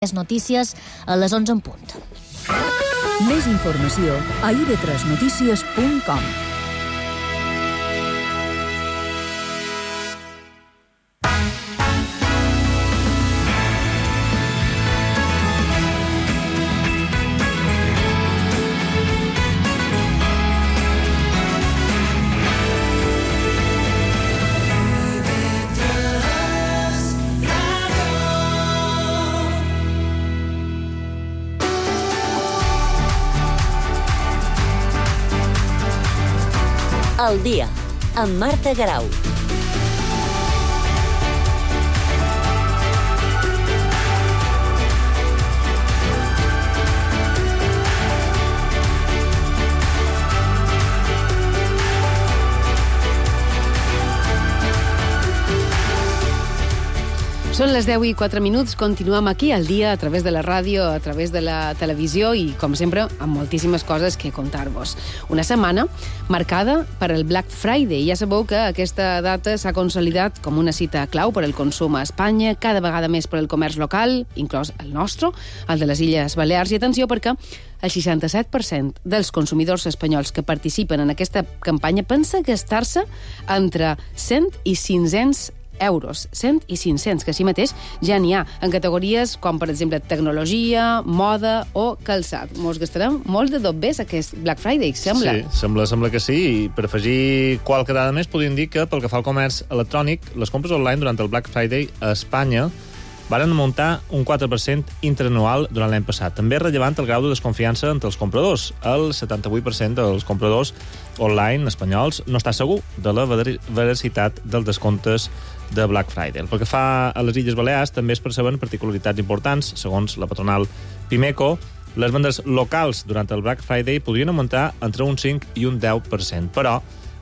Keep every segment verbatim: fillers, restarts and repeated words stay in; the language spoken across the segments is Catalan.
Les notícies a les onze en punt. Més informació a i ve tres notícies punt com. El dia, amb Marta Garau. Són les deu i quatre minuts, continuem aquí al dia a través de la ràdio, a través de la televisió i, com sempre, amb moltíssimes coses que contar-vos. Una setmana marcada per el Black Friday. Ja sabeu que aquesta data s'ha consolidat com una cita clau per al consum a Espanya, cada vegada més per al comerç local, inclòs el nostre, el de les Illes Balears. I atenció perquè el seixanta-set per cent dels consumidors espanyols que participen en aquesta campanya pensa gastar-se entre cent i cinc-cents euros, cent i cinc-cents, que així mateix ja n'hi ha, en categories com, per exemple, tecnologia, moda o calçat. Mos gastarem molt de dobbers aquest Black Friday, sembla. Sí, sembla, sembla que sí, i per afegir qualque dada més podríem dir que pel que fa al comerç electrònic, les compres online durant el Black Friday a Espanya varen muntar un quatre per cent interanual durant l'any passat. També és rellevant el grau de desconfiança entre els compradors. El setanta-vuit per cent dels compradors online espanyols no està segur de la veracitat dels descomptes de Black Friday. Pel que fa a les Illes Balears, també es perceben particularitats importants. Segons la patronal Pimeco, les vendes locals durant el Black Friday podrien augmentar entre un cinc i un deu per cent, però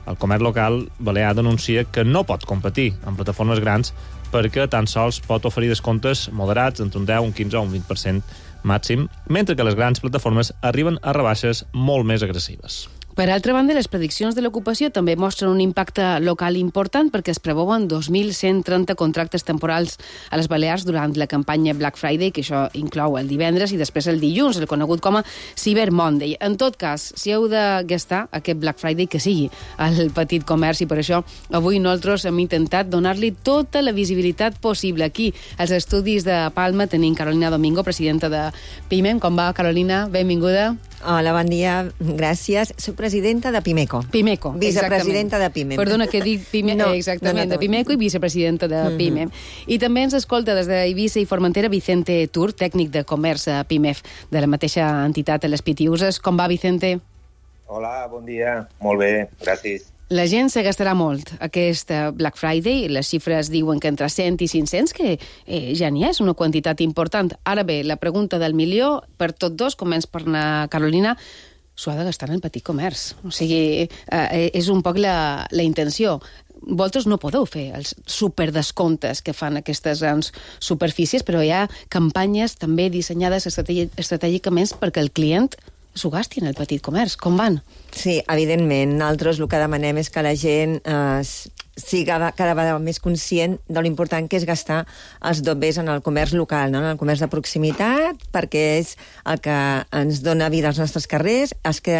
el comerç local balear denuncia que no pot competir amb plataformes grans perquè tan sols pot oferir descomptes moderats entre un deu, un quinze o un vint per cent màxim, mentre que les grans plataformes arriben a rebaixes molt més agressives. Per altra banda, les prediccions de l'ocupació també mostren un impacte local important perquè es preveuen dos mil cent trenta contractes temporals a les Balears durant la campanya Black Friday, que això inclou el divendres i després el dilluns, el conegut com a Cyber Monday. En tot cas, si heu de gastar aquest Black Friday, que sigui al petit comerç, i per això avui nosaltres hem intentat donar-li tota la visibilitat possible. Aquí, als estudis de Palma, tenim Carolina Domingo, presidenta de Pimem. Com va, Carolina? Benvinguda. Hola, bon dia, gràcies. Soc presidenta de Pimeco. Pimeco, vicepresidenta de Pimem. Perdona que dic Pime... no, exactament, no, no, de Pimeco i vicepresidenta de mm-hmm. Pimem. I també ens escolta des d'Eivissa i Formentera Vicente Tur, tècnic de comerç a Pimef, de la mateixa entitat a les Pitiuses. Com va, Vicente? Hola, bon dia. Molt bé, gràcies. La gent se gastarà molt aquest Black Friday. Les xifres diuen que entre cent i cinc-cents, que eh, ja n'hi és una quantitat important. Ara bé, la pregunta del milió, per tots dos, comença per anar, Carolina, s'ho ha de gastar en el petit comerç. O sigui, eh, és un poc la, la intenció. Vosaltres no podeu fer els superdescomptes que fan aquestes grans superfícies, però hi ha campanyes també dissenyades estratègicament perquè el client s'ho gasti en el petit comerç. Com van? Sí, evidentment. Nosaltres el que demanem és que la gent eh, sigui cada vegada més conscient de l'important que és gastar els dobbers en el comerç local, no? En el comerç de proximitat, perquè és el que ens dona vida als nostres carrers, és que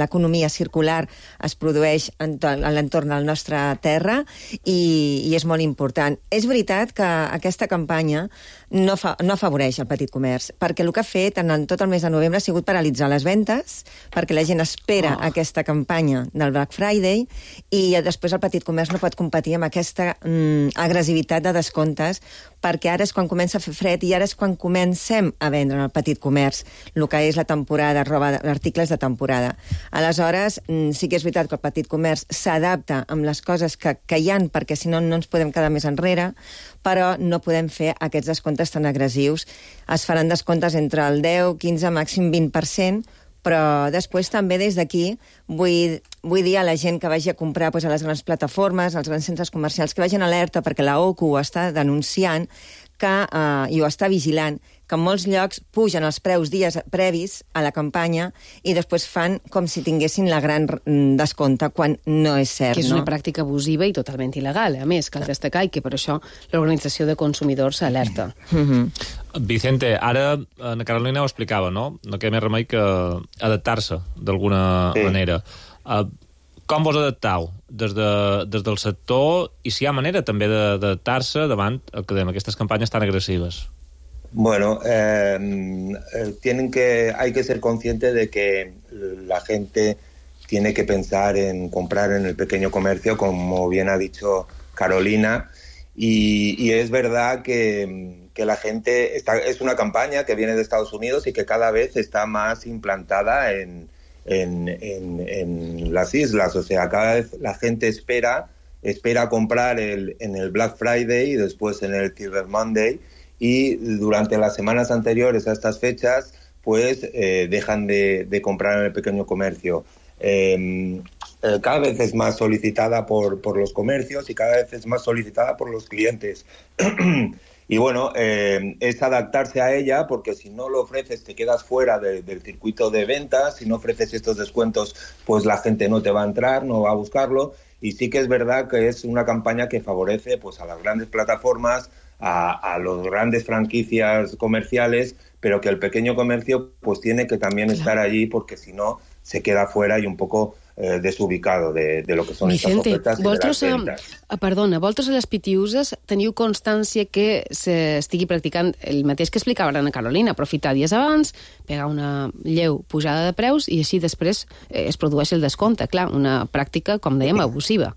l'economia circular es produeix en, en l'entorn de la nostra terra i, i és molt important. És veritat que aquesta campanya no, fa, no afavoreix el petit comerç, perquè el que ha fet en, en tot el mes de novembre ha sigut paralitzar les ventes, perquè la gent espera oh. aquesta campanya del Black Friday i després el petit comerç no pot competir amb aquesta mm, agressivitat de descomptes, perquè ara és quan comença a fer fred i ara és quan comencem a vendre en el petit comerç el que és la temporada, roba, articles de temporada. Aleshores, mm, sí que és veritat que el petit comerç s'adapta amb les coses que, que hi ha, perquè si no, no ens podem quedar més enrere, però no podem fer aquests descomptes tan agressius. Es faran descomptes entre el deu, quinze, màxim vint per cent, però després també des d'aquí vull, vull dir a la gent que vagi a comprar doncs, a les grans plataformes, als grans centres comercials, que vagin alerta perquè la O C U ho està denunciant, que, eh, i ho està vigilant, que en molts llocs pugen els preus dies previs a la campanya i després fan com si tinguessin la gran descompte, quan no és cert. Que és una no? pràctica abusiva i totalment il·legal, a més, cal destacar, i que per això l'Organització de Consumidors s'alerta. Mm-hmm. Vicente, ara na Carolina ho explicava, no? No queda més remei que adaptar-se d'alguna sí. manera. Uh, com vos adapteu des, de, des del sector i si hi ha manera també d'adaptar-se davant el que dèiem, aquestes campanyes tan agressives? Bueno, eh, tienen que, hay que ser consciente de que la gente tiene que pensar en comprar en el pequeño comercio, como bien ha dicho Carolina, y, y es verdad que, que la gente está, es una campaña que viene de Estados Unidos y que cada vez está más implantada en, en, en, en las islas, o sea, cada vez la gente espera, espera comprar el, en el Black Friday y después en el Cyber Monday, y durante las semanas anteriores a estas fechas pues eh, dejan de, de comprar en el pequeño comercio. Eh, eh, cada vez es más solicitada por, por los comercios y cada vez es más solicitada por los clientes. Y bueno, eh, es adaptarse a ella, porque si no lo ofreces te quedas fuera de, del circuito de ventas, si no ofreces estos descuentos pues la gente no te va a entrar, no va a buscarlo, y sí que es verdad que es una campaña que favorece pues a las grandes plataformas, A, a los grandes franquicias comerciales, pero que el pequeño comercio pues tiene que también claro. estar allí, porque si no se queda fuera y un poco eh, desubicado de, de lo que són aquestes ofertes i de les ventas. A, perdona, vosaltres a les Pitiuses teniu constància que s'estigui practicant el mateix que explicava Ana Carolina, aprofitar dies abans, pegar una lleu pujada de preus i així després eh, es produeix el descompte. Clar, una pràctica, com dèiem, abusiva.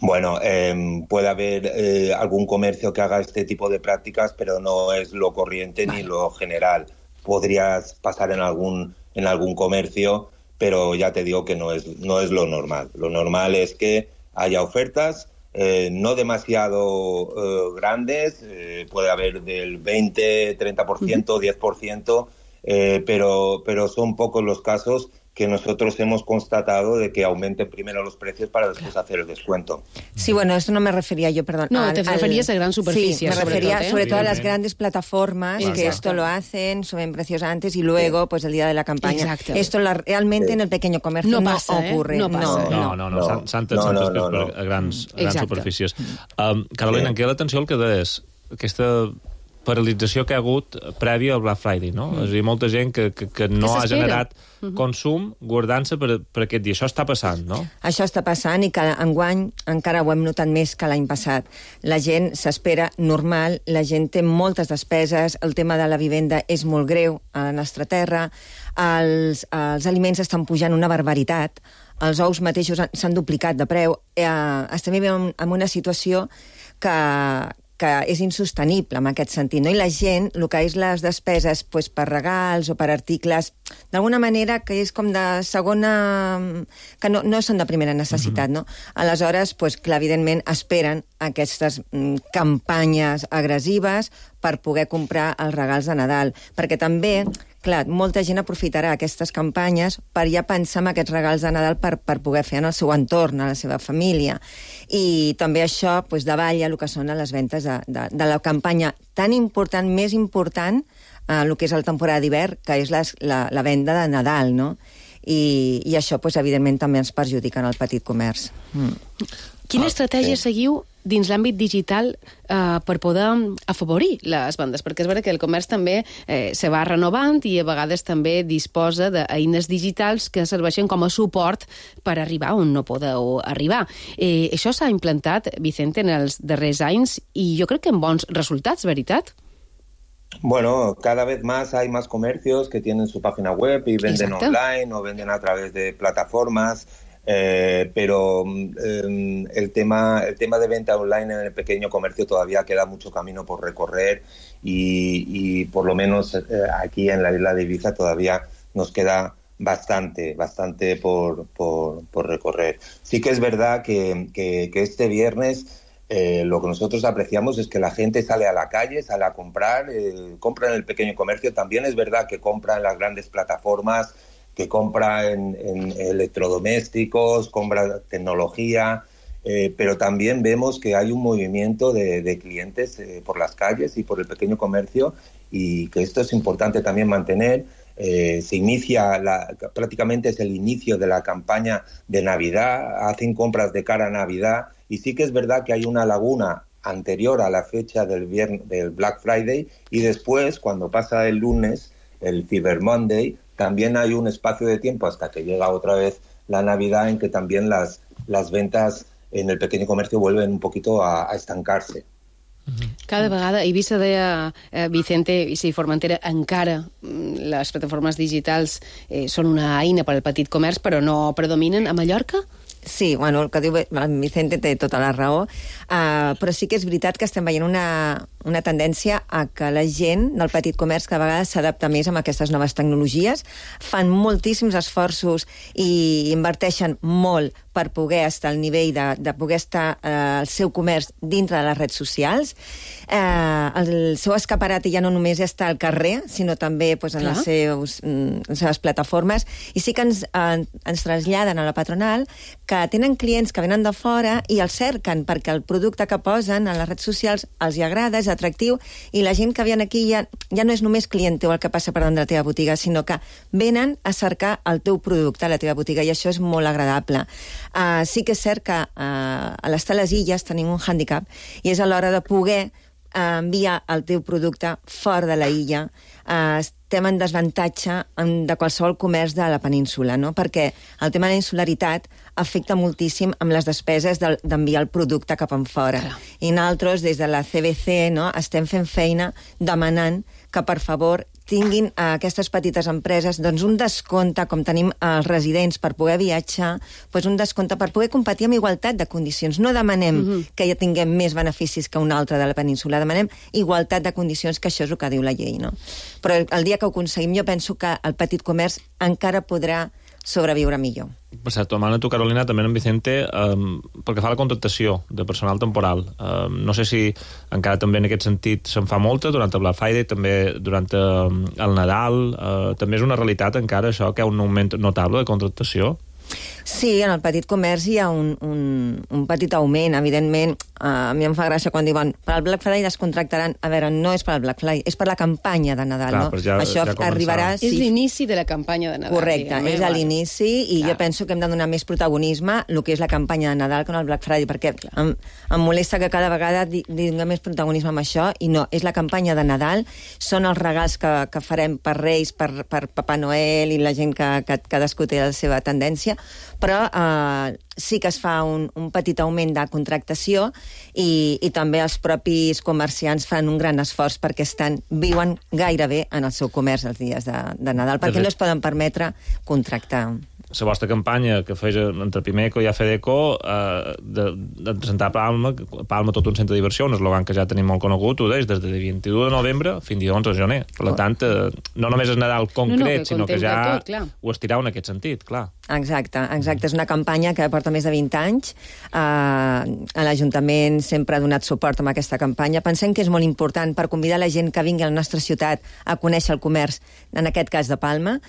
Bueno, eh, puede haber eh, algún comercio que haga este tipo de prácticas, pero no es lo corriente vale. ni lo general. Podrías pasar en algún en algún comercio, pero ya te digo que no es no es lo normal. Lo normal es que haya ofertas, eh, no demasiado eh, grandes, eh, puede haber del veinte, treinta por ciento, uh-huh. diez por ciento, eh, pero pero son pocos los casos que nosotros hemos constatado de que aumenten primero los precios para después hacer el descuento. Sí, bueno, esto no me refería yo, perdón. No, al, te referías al... a gran superficie. Sí, me sobre refería todo, ¿eh? sobre todo a las grandes plataformas Exacto. que esto lo hacen, suben precios antes y luego, sí. pues el día de la campaña. Exacto. Esto la, realmente sí. en el pequeño comercio no, passa, no ocurre. Eh? No passa. No, no, no, no. no. s'han no, no, no, no. per grans, grans superfícies. Um, sí. Carolina, em queda l'atenció el que deies, aquesta paralització que ha hagut prèvia al Black Friday, no? Mm. És a dir, molta gent que, que, que no ha generat mm-hmm. consum guardant-se per, per aquest dia. Això està passant, no? Això està passant i que enguany encara ho hem notat més que l'any passat. La gent s'espera normal, la gent té moltes despeses, el tema de la vivenda és molt greu a la nostra terra, els, els aliments estan pujant una barbaritat, els ous mateixos s'han duplicat de preu, eh, estem vivint en una situació que que és insostenible en aquest sentit, no? I la gent, el que és les despeses pues, per regals o per articles, d'alguna manera que és com de segona... que no, no són de primera necessitat, no? Aleshores, pues, clar, evidentment, esperen aquestes mm, campanyes agressives per poder comprar els regals de Nadal, perquè també... Clar, molta gent aprofitarà aquestes campanyes per ja pensar en aquests regals de Nadal per, per poder fer en el seu entorn, a la seva família. I també això pues, davalla el que són les ventes de, de, de la campanya tan important, més important, eh, el que és la temporada d'hivern, que és les, la, la venda de Nadal, no? I, i això, pues, evidentment, també ens perjudica en el petit comerç. Mm. Quina estratègia seguiu dins l'àmbit digital eh, per poder afavorir les vendes? Perquè és veritat que el comerç també eh, se va renovant i a vegades també disposa d'eines digitals que serveixen com a suport per arribar on no podeu arribar. Eh, això s'ha implantat, Vicente, en els darrers anys i jo crec que amb bons resultats, veritat? Bueno, cada vez más hay más comercios que tienen su página web y venden Exacto. online o venden a través de plataformas. Eh, pero eh, el tema el tema de venta online en el pequeño comercio todavía queda mucho camino por recorrer y, y por lo menos eh, aquí en la isla de Ibiza todavía nos queda bastante bastante por, por, por recorrer. Sí que es verdad que, que, que este viernes eh, lo que nosotros apreciamos es que la gente sale a la calle, sale a comprar, eh, compra en el pequeño comercio. También es verdad que compra en las grandes plataformas, que compra en, en electrodomésticos, compra tecnología, eh, pero también vemos que hay un movimiento de, de clientes eh, por las calles y por el pequeño comercio, y que esto es importante también mantener. Eh, se inicia, la, prácticamente es el inicio de la campaña de Navidad, hacen compras de cara a Navidad, y sí que es verdad que hay una laguna anterior a la fecha del, viernes, del Black Friday, y después, cuando pasa el lunes, el Cyber Monday, también hay un espacio de tiempo hasta que llega otra vez la Navidad, en que también las, las ventas en el pequeño comercio vuelven un poquito a, a estancarse. Cada vegada, Eivissa deia, eh, Vicente i si Formentera, encara les plataformes digitals eh, són una eina per al petit comerç, però no predominen a Mallorca? Sí, bueno, el que diu el Vicente té tota la raó, uh, però sí que és veritat que estem veient una, una tendència a que la gent del petit comerç cada vegada s'adapta més a aquestes noves tecnologies, fan moltíssims esforços i inverteixen molt per poder estar al nivell de, de poder estar eh, el seu comerç dintre de les redes socials. Eh, el seu escaparat ja no només està al carrer, sinó també pues, en les, seus, les seves plataformes, i sí que ens, eh, ens traslladen a la patronal que tenen clients que venen de fora i els cerquen perquè el producte que posen a les redes socials els hi agrada, és atractiu, i la gent que viene aquí ja, ja no és només client teu el que passa per davant de la teva botiga, sinó que venen a cercar el teu producte a la teva botiga, i això és molt agradable. Uh, sí que és cert que uh, a l'estar a les illes tenim un hàndicap, i és a l'hora de poder uh, enviar el teu producte fora de la illa. Uh, estem en desavantatge en, de qualsevol comerç de la península, no? Perquè el tema de la insularitat afecta moltíssim amb les despeses d'enviar el producte cap en fora. Clar. I nosaltres, des de la C B C, no, estem fent feina demanant que, per favor, tinguin a aquestes petites empreses doncs, un descompte, com tenim els residents per poder viatjar, doncs un descompte per poder competir amb igualtat de condicions. No demanem mm-hmm. que ja tinguem més beneficis que un altre de la península, demanem igualtat de condicions, que això és el que diu la llei, no? Però el dia que ho aconseguim, jo penso que el petit comerç encara podrà sobreviure millor. Per cert, tomant a tu, Carolina, també en Vicente, um, pel que fa a la contractació de personal temporal, um, no sé si encara també en aquest sentit se'n fa molta durant el Black Friday, també durant um, el Nadal, uh, també és una realitat encara això, que hi ha un augment notable de contractació? Sí, en el petit comerç hi ha un, un, un petit augment, evidentment. Uh, a mi em fa gràcia quan diuen per al Black Friday descontractaran. A veure, no és per al Black Friday, és per la campanya de Nadal. Clar, no? Ja, Això ja arribarà... Sí. És l'inici de la campanya de Nadal. Correcte, diguem, és a l'inici, i clar. Jo penso que hem de donar més protagonisme el que és la campanya de Nadal que no el Black Friday, perquè em, em molesta que cada vegada donem més protagonisme amb això, i no, és la campanya de Nadal, són els regals que, que farem per Reis, per, per Papa Noel i la gent que, que cadascú té la seva tendència, però eh, sí que es fa un, un petit augment de contractació, i, i també els propis comerciants fan un gran esforç perquè estan, viuen gairebé en el seu comerç els dies de, de Nadal, perquè no es poden permetre contractar. La vostra campanya que feia entre Pimeco i A F D E C O eh, de, de presentar Palma, Palma tot un centre de diversió, un eslògan que ja tenim molt conegut, ho deix, des del vint-i-u de novembre fins a onze de gener. Per oh. tant, eh, no només és Nadal concret, no, no, que sinó que ja tot, ho estirau en aquest sentit, clar. Exacte, exacte. És una campanya que porta més de vint anys. Uh, l'Ajuntament sempre ha donat suport a aquesta campanya. Pensem que és molt important per convidar la gent que vingui a la nostra ciutat a conèixer el comerç, en aquest cas de Palma.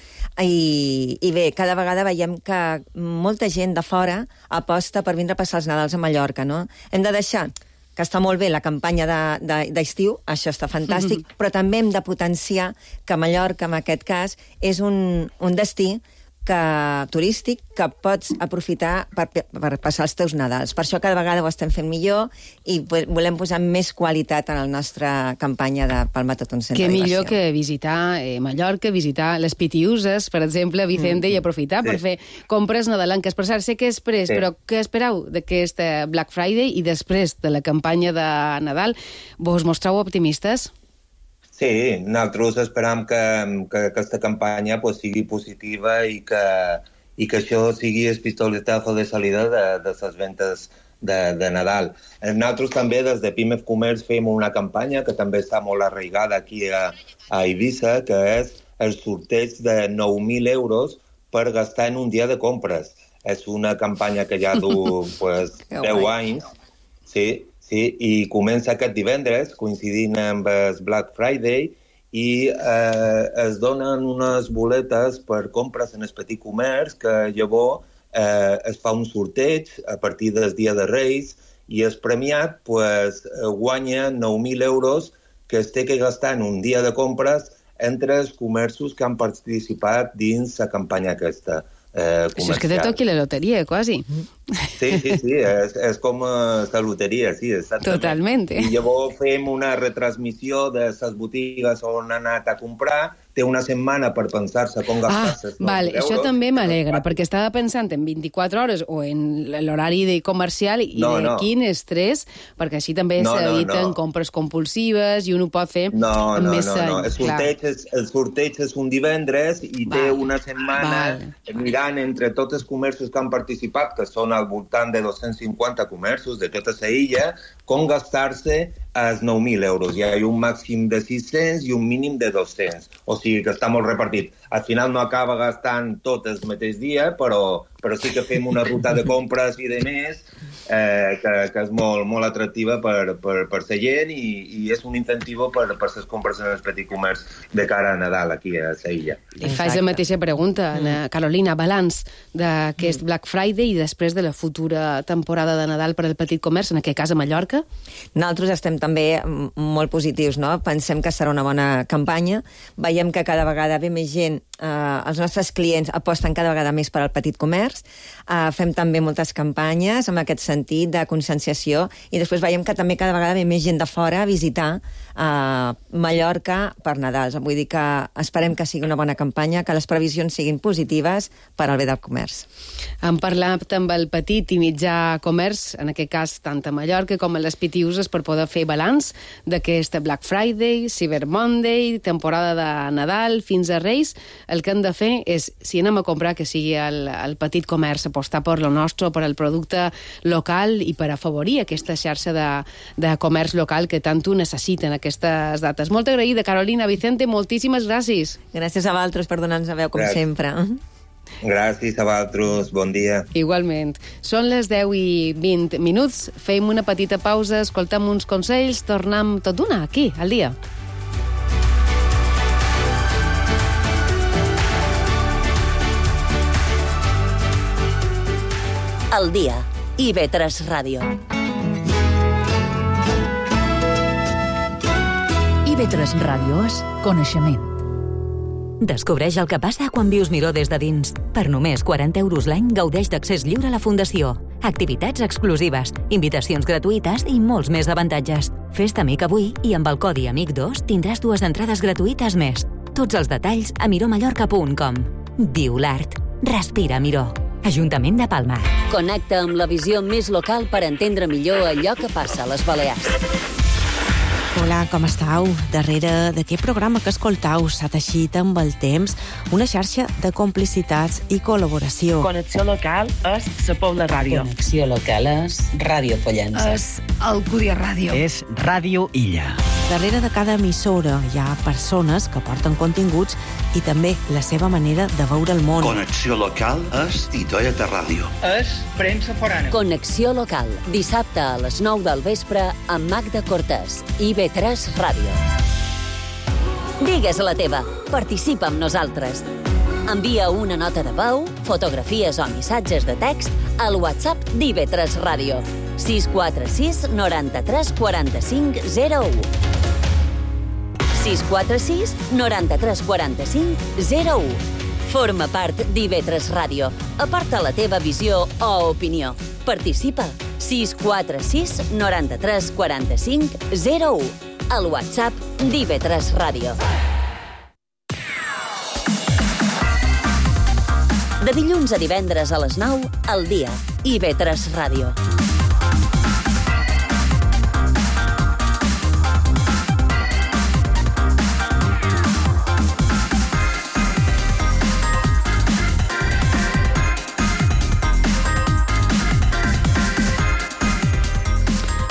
I, i bé, cada vegada veiem que molta gent de fora aposta per vindre a passar els Nadals a Mallorca, no? Hem de deixar que està molt bé la campanya d'estiu, de, de, això està fantàstic, mm-hmm. però també hem de potenciar que Mallorca, en aquest cas, és un, un destí que, turístic que pots aprofitar per, per passar els teus Nadals. Per això cada vegada ho estem fent millor i volem posar més qualitat en la nostra campanya de Palma tot un centre de diversió. Què millor que visitar eh, Mallorca, visitar les Pitiuses, per exemple, Vicente, mm. i aprofitar sí. per fer compres nadalenques. Per cert, sé que després, sí. però què espereu d'aquest Black Friday i després de la campanya de Nadal? Vos mostreu optimistes? Sí, nosaltres esperam que, que aquesta campanya pues, sigui positiva i que, i que això sigui el pistoletazo de salida de, de les ventes de, de Nadal. Nosaltres també des de Pimef Comerç fem una campanya que també està molt arraigada aquí a, a Eivissa, que és el sorteig de nou mil euros per gastar en un dia de compres. És una campanya que ja du pues, deu anys. Sí, sí, i comença aquest divendres, coincidint amb el Black Friday, i eh, es donen unes boletes per compres en el petit comerç que llavors eh, es fa un sorteig a partir del dia de Reis i el premiat pues, guanya nou mil euros que es té que gastar en un dia de compres entre els comerços que han participat dins la campanya aquesta eh, comercial. Això és que te toqui la loteria, quasi. Sí, sí, sí, és, és com la loteria, sí, exactament. Totalment. I llavors fem una retransmissió de les botigues on han anat a comprar, té una setmana per pensar-se com gastar-se els ah, vale, euros. Això també m'alegra, perquè estava pensant en vint-i-quatre hores o en l'horari de comercial i no, de no. quin estrès, perquè així també no, s'eviten no, no. compres compulsives i un ho pot fer no, amb no, més no, no. El sorteig, és, el sorteig és un divendres i vale. Té una setmana vale. Mirant entre tots els comerços que han participat, que són al voltant de dos-cents cinquanta comerços de tota la illa, com gastar-se els nou mil euros. Hi ha un màxim de sis-cents i un mínim de dos-cents. O sigui que està molt repartit. Al final no acaba gastant tot el mateix dia, però, però sí que fem una ruta de compres i de més eh, que, que és molt, molt atractiva per, per, per la gent i, i és un incentiu per, per les compres en el petit comerç de cara a Nadal aquí a la illa. I faig la mateixa pregunta, mm. Carolina, balanç d'aquest mm. Black Friday i després de la futura temporada de Nadal per al petit comerç, en aquest cas a Mallorca? Nosaltres estem també molt positius, no? Pensem que serà una bona campanya. Veiem que cada vegada ve més gent, eh, els nostres clients aposten cada vegada més per al petit comerç. Eh, fem també moltes campanyes en aquest sentit de conscienciació i després veiem que també cada vegada ve més gent de fora a visitar eh, Mallorca per Nadal. Vull dir que esperem que sigui una bona campanya, que les previsions siguin positives per al bé del comerç. Hem parlat amb el petit i mitjà comerç, en aquest cas tant a Mallorca com a les Pitiuses, per poder fer balanç d'aquest Black Friday, Cyber Monday, temporada de Nadal, fins a Reis. El que hem de fer és, si anem a comprar, que sigui el, el petit comerç, apostar per lo nostre, per el producte local i per afavorir aquesta xarxa de, de comerç local que tant ho necessiten aquestes dates. Molt agraïda, Carolina. Vicente, moltíssimes gràcies. Gràcies a vosaltres per donar-nos a veu, com gràcies. sempre. Gràcies a vosaltres, bon dia. Igualment. Són les deu i vint minuts, fem una petita pausa, escoltem uns consells, tornem tot d'una aquí, al dia. El dia. I ve tres Ràdio. I ve tres Ràdio és coneixement. Descobreix el que passa quan vius Miró des de dins. Per només quaranta euros l'any gaudeix d'accés lliure a la Fundació. Activitats exclusives, invitacions gratuïtes i molts més avantatges. Fes-te amic avui i amb el codi amic dos tindràs dues entrades gratuïtes més. Tots els detalls a miromallorca punt com. Viu l'art. Respira Miró. Ajuntament de Palma. Connecta amb la visió més local per entendre millor allò que passa a les Balears. Hola, com estàu? Darrere d'aquest programa que escoltau s'ha teixit amb el temps una xarxa de complicitats i col·laboració. Connexió local és la Pobla Ràdio. Connexió local és Ràdio Pollença. És Alcúdia Ràdio. És Ràdio Illa. Darrere de cada emissora hi ha persones que porten continguts i també la seva manera de veure el món. Connexió local és Titoia de Ràdio. És premsa forana. Connexió local, dissabte a les nou del vespre amb Magda Cortés. I ve tres Ràdio. Digues la teva. Participa amb nosaltres. Envia una nota de veu, fotografies o missatges de text al WhatsApp d'I V tres Ràdio. sis quatre sis noranta-tres quaranta-cinc zero u. sis quatre sis noranta-tres quaranta-cinc zero u. Forma part d'I V tres Ràdio. Aporta la teva visió o opinió. Participa. sis quatre sis noranta-tres quaranta-cinc zero u. Al WhatsApp d'I V tres Ràdio. De dilluns a divendres a les nou, al dia. I V tres Ràdio.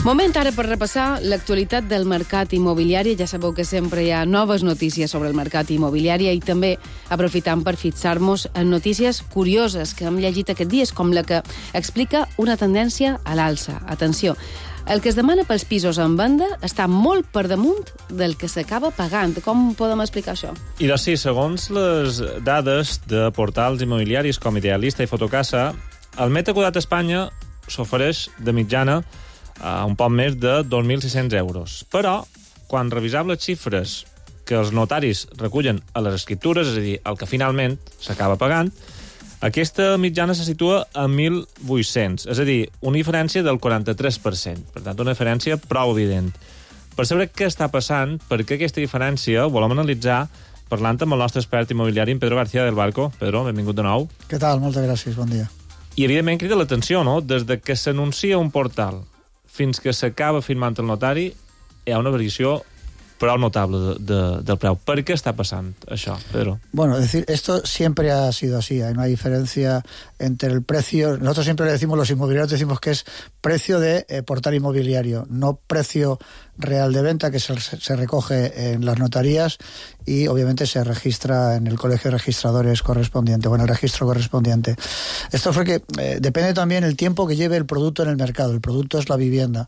Moment ara per repassar l'actualitat del mercat immobiliari. Ja sabeu que sempre hi ha noves notícies sobre el mercat immobiliari i també aprofitant per fixar-nos en notícies curioses que hem llegit aquests dies, com la que explica una tendència a l'alça. Atenció, el que es demana pels pisos en venda està molt per damunt del que s'acaba pagant. Com podem explicar això? I doncs sí, segons les dades de portals immobiliaris com Idealista i Fotocasa, el metre quadrat a Espanya s'ofereix de mitjana a un poc més de dos mil sis-cents euros. Però, quan revisam les xifres que els notaris recullen a les escriptures, és a dir, el que finalment s'acaba pagant, aquesta mitjana se situa a mil vuit-cents, és a dir, una diferència del quaranta-tres per cent. Per tant, una diferència prou evident. Per saber què està passant, per què aquesta diferència, ho volem analitzar parlant amb el nostre expert immobiliari, en Pedro García del Barco. Pedro, benvingut de nou. Què tal? Moltes gràcies, bon dia. I, evidentment, crida l'atenció, no? Des de que s'anuncia un portal fins que s'acaba firmant el notari, hi ha una variació prou notable de, de, del preu. ¿Por qué está pasando eso, Pedro? Bueno, es decir, esto siempre ha sido así. Hay una diferencia entre el precio... Nosotros siempre le decimos, los inmobiliarios decimos que es precio de eh, portal inmobiliario, no precio real de venta, que se, se recoge en las notarías y obviamente se registra en el colegio de registradores correspondiente o en el registro correspondiente. Esto fue que eh, depende también el tiempo que lleve el producto en el mercado. El producto es la vivienda.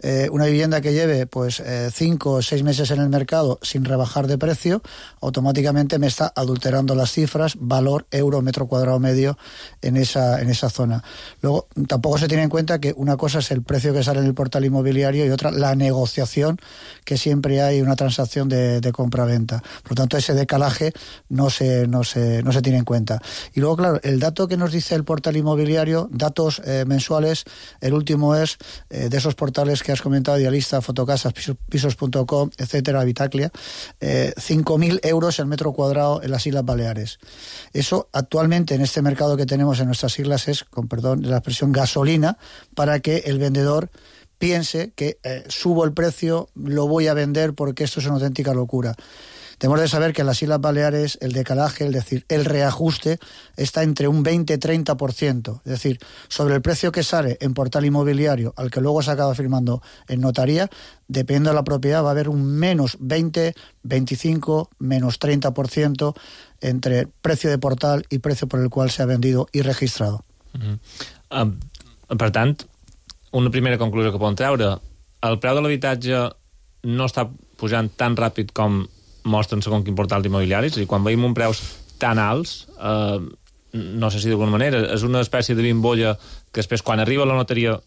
Eh, una vivienda que lleve pues eh, cinco o seis meses en el mercado sin rebajar de precio, automáticamente me está adulterando las cifras, valor euro metro cuadrado medio en esa, en esa zona. Luego, tampoco se tiene en cuenta que una cosa es el precio que sale en el portal inmobiliario y otra la negociación que siempre hay una transacción de, de compra-venta. Por lo tanto, ese decalaje no se, no, se, no se tiene en cuenta. Y luego, claro, el dato que nos dice el portal inmobiliario, datos eh, mensuales, el último es eh, de esos portales que has comentado, Idealista, Fotocasas, pisos punto com, etcétera, Habitaclia, eh, cinco mil euros el metro cuadrado en las Islas Baleares. Eso actualmente en este mercado que tenemos en nuestras islas es, con perdón la expresión, gasolina para que el vendedor piense que eh, subo el precio, lo voy a vender porque esto es una auténtica locura. Tenemos de saber que en las Islas Baleares el decalaje, es decir, el reajuste, está entre un veinte a treinta por ciento. Es decir, sobre el precio que sale en portal inmobiliario al que luego se acaba firmando en notaría, dependiendo de la propiedad, va a haber un menos veinte, veinticinco, menos treinta por ciento entre precio de portal y precio por el cual se ha vendido y registrado. Mm-hmm. Um, per tant, una primera conclusió que podem treure, el preu de l'habitatge no està pujant tan ràpid com mostren segons quin portal d'immobiliaris, és a dir, quan veiem un preus tan alts, eh, no sé si d'alguna manera, és una espècie de bimbolla que després quan arriba a la notaria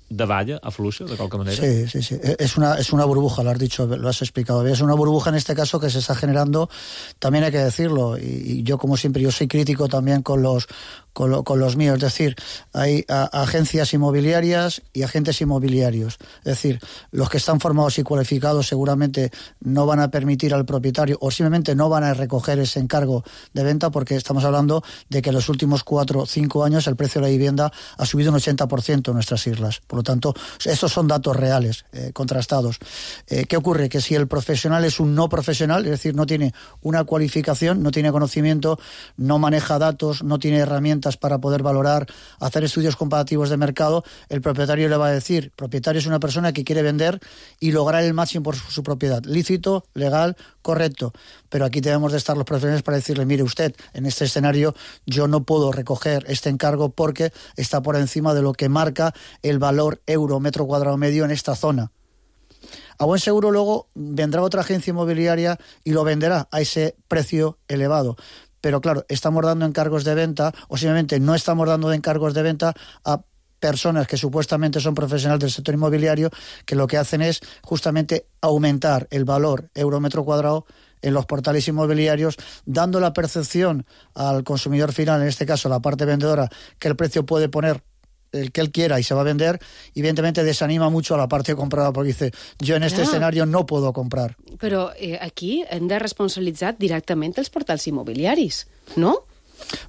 davalla, afluixa, de qualque manera. Sí, sí, sí. Es una, es una burbuja, lo has dicho, lo has explicado bien. Es una burbuja en este caso que se está generando, también hay que decirlo, y, y yo como siempre, yo soy crítico también con los Con, lo, con los míos, es decir, hay a, agencias inmobiliarias y agentes inmobiliarios, es decir, los que están formados y cualificados seguramente no van a permitir al propietario o simplemente no van a recoger ese encargo de venta porque estamos hablando de que en los últimos cuatro o cinco años el precio de la vivienda ha subido un ochenta por ciento en nuestras islas, por lo tanto, estos son datos reales, eh, contrastados. Eh, ¿Qué ocurre? Que si el profesional es un no profesional, es decir, no tiene una cualificación, no tiene conocimiento, no maneja datos, no tiene herramientas para poder valorar, hacer estudios comparativos de mercado, el propietario le va a decir, propietario es una persona que quiere vender y lograr el máximo por su, su propiedad, lícito, legal, correcto, pero aquí debemos de estar los profesionales para decirle, mire usted, en este escenario yo no puedo recoger este encargo porque está por encima de lo que marca el valor euro metro cuadrado medio en esta zona. A buen seguro luego vendrá otra agencia inmobiliaria y lo venderá a ese precio elevado. Pero claro, estamos dando encargos de venta o simplemente no estamos dando encargos de venta a personas que supuestamente son profesionales del sector inmobiliario que lo que hacen es justamente aumentar el valor euro metro cuadrado en los portales inmobiliarios, dando la percepción al consumidor final, en este caso la parte vendedora, que el precio puede poner el que él quiera y se va a vender, evidentemente desanima mucho a la parte compradora porque dice, yo en este Clar. escenario no puedo comprar. Però eh, aquí hem de responsabilitzar directament els portals immobiliaris, no?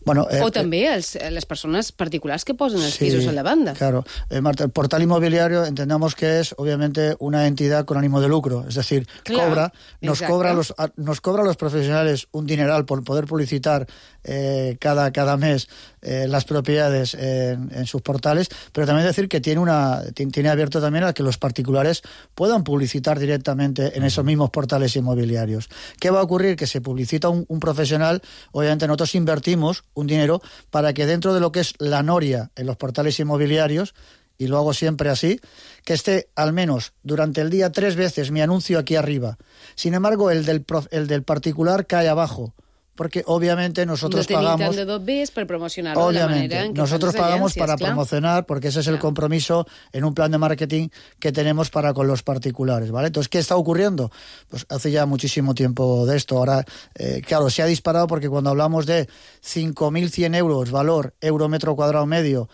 Bueno, eh, o també els, les persones particulars que posen els sí, pisos a la banda. Claro. Eh, Marta, el portal inmobiliario entendemos que es obviamente una entidad con ánimo de lucro, es decir, claro, cobra, nos cobra, los, a, nos cobra a los profesionales un dineral por poder publicitar eh, cada, cada mes eh, las propiedades en, en sus portales, pero también decir que tiene, una, tiene abierto también a que los particulares puedan publicitar directamente en esos mismos portales inmobiliarios. ¿Qué va a ocurrir? Que se publicita un, un profesional, obviamente nosotros invertimos un dinero para que dentro de lo que es la noria en los portales inmobiliarios, y lo hago siempre así, que esté al menos durante el día tres veces mi anuncio aquí arriba. Sin embargo, el del, el del particular cae abajo. porque obviamente nosotros no pagamos... No tenéis tant de dobbers per promocionar-lo de la obviamente, manera en que nosotros pagamos para claro. promocionar, porque ese es el compromiso en un plan de marketing que tenemos para con los particulares, ¿vale? Entonces, ¿qué está ocurriendo? Pues hace ya muchísimo tiempo de esto. Ahora, eh, claro, se ha disparado porque cuando hablamos de cinco mil cien euros valor euro metro cuadrado medio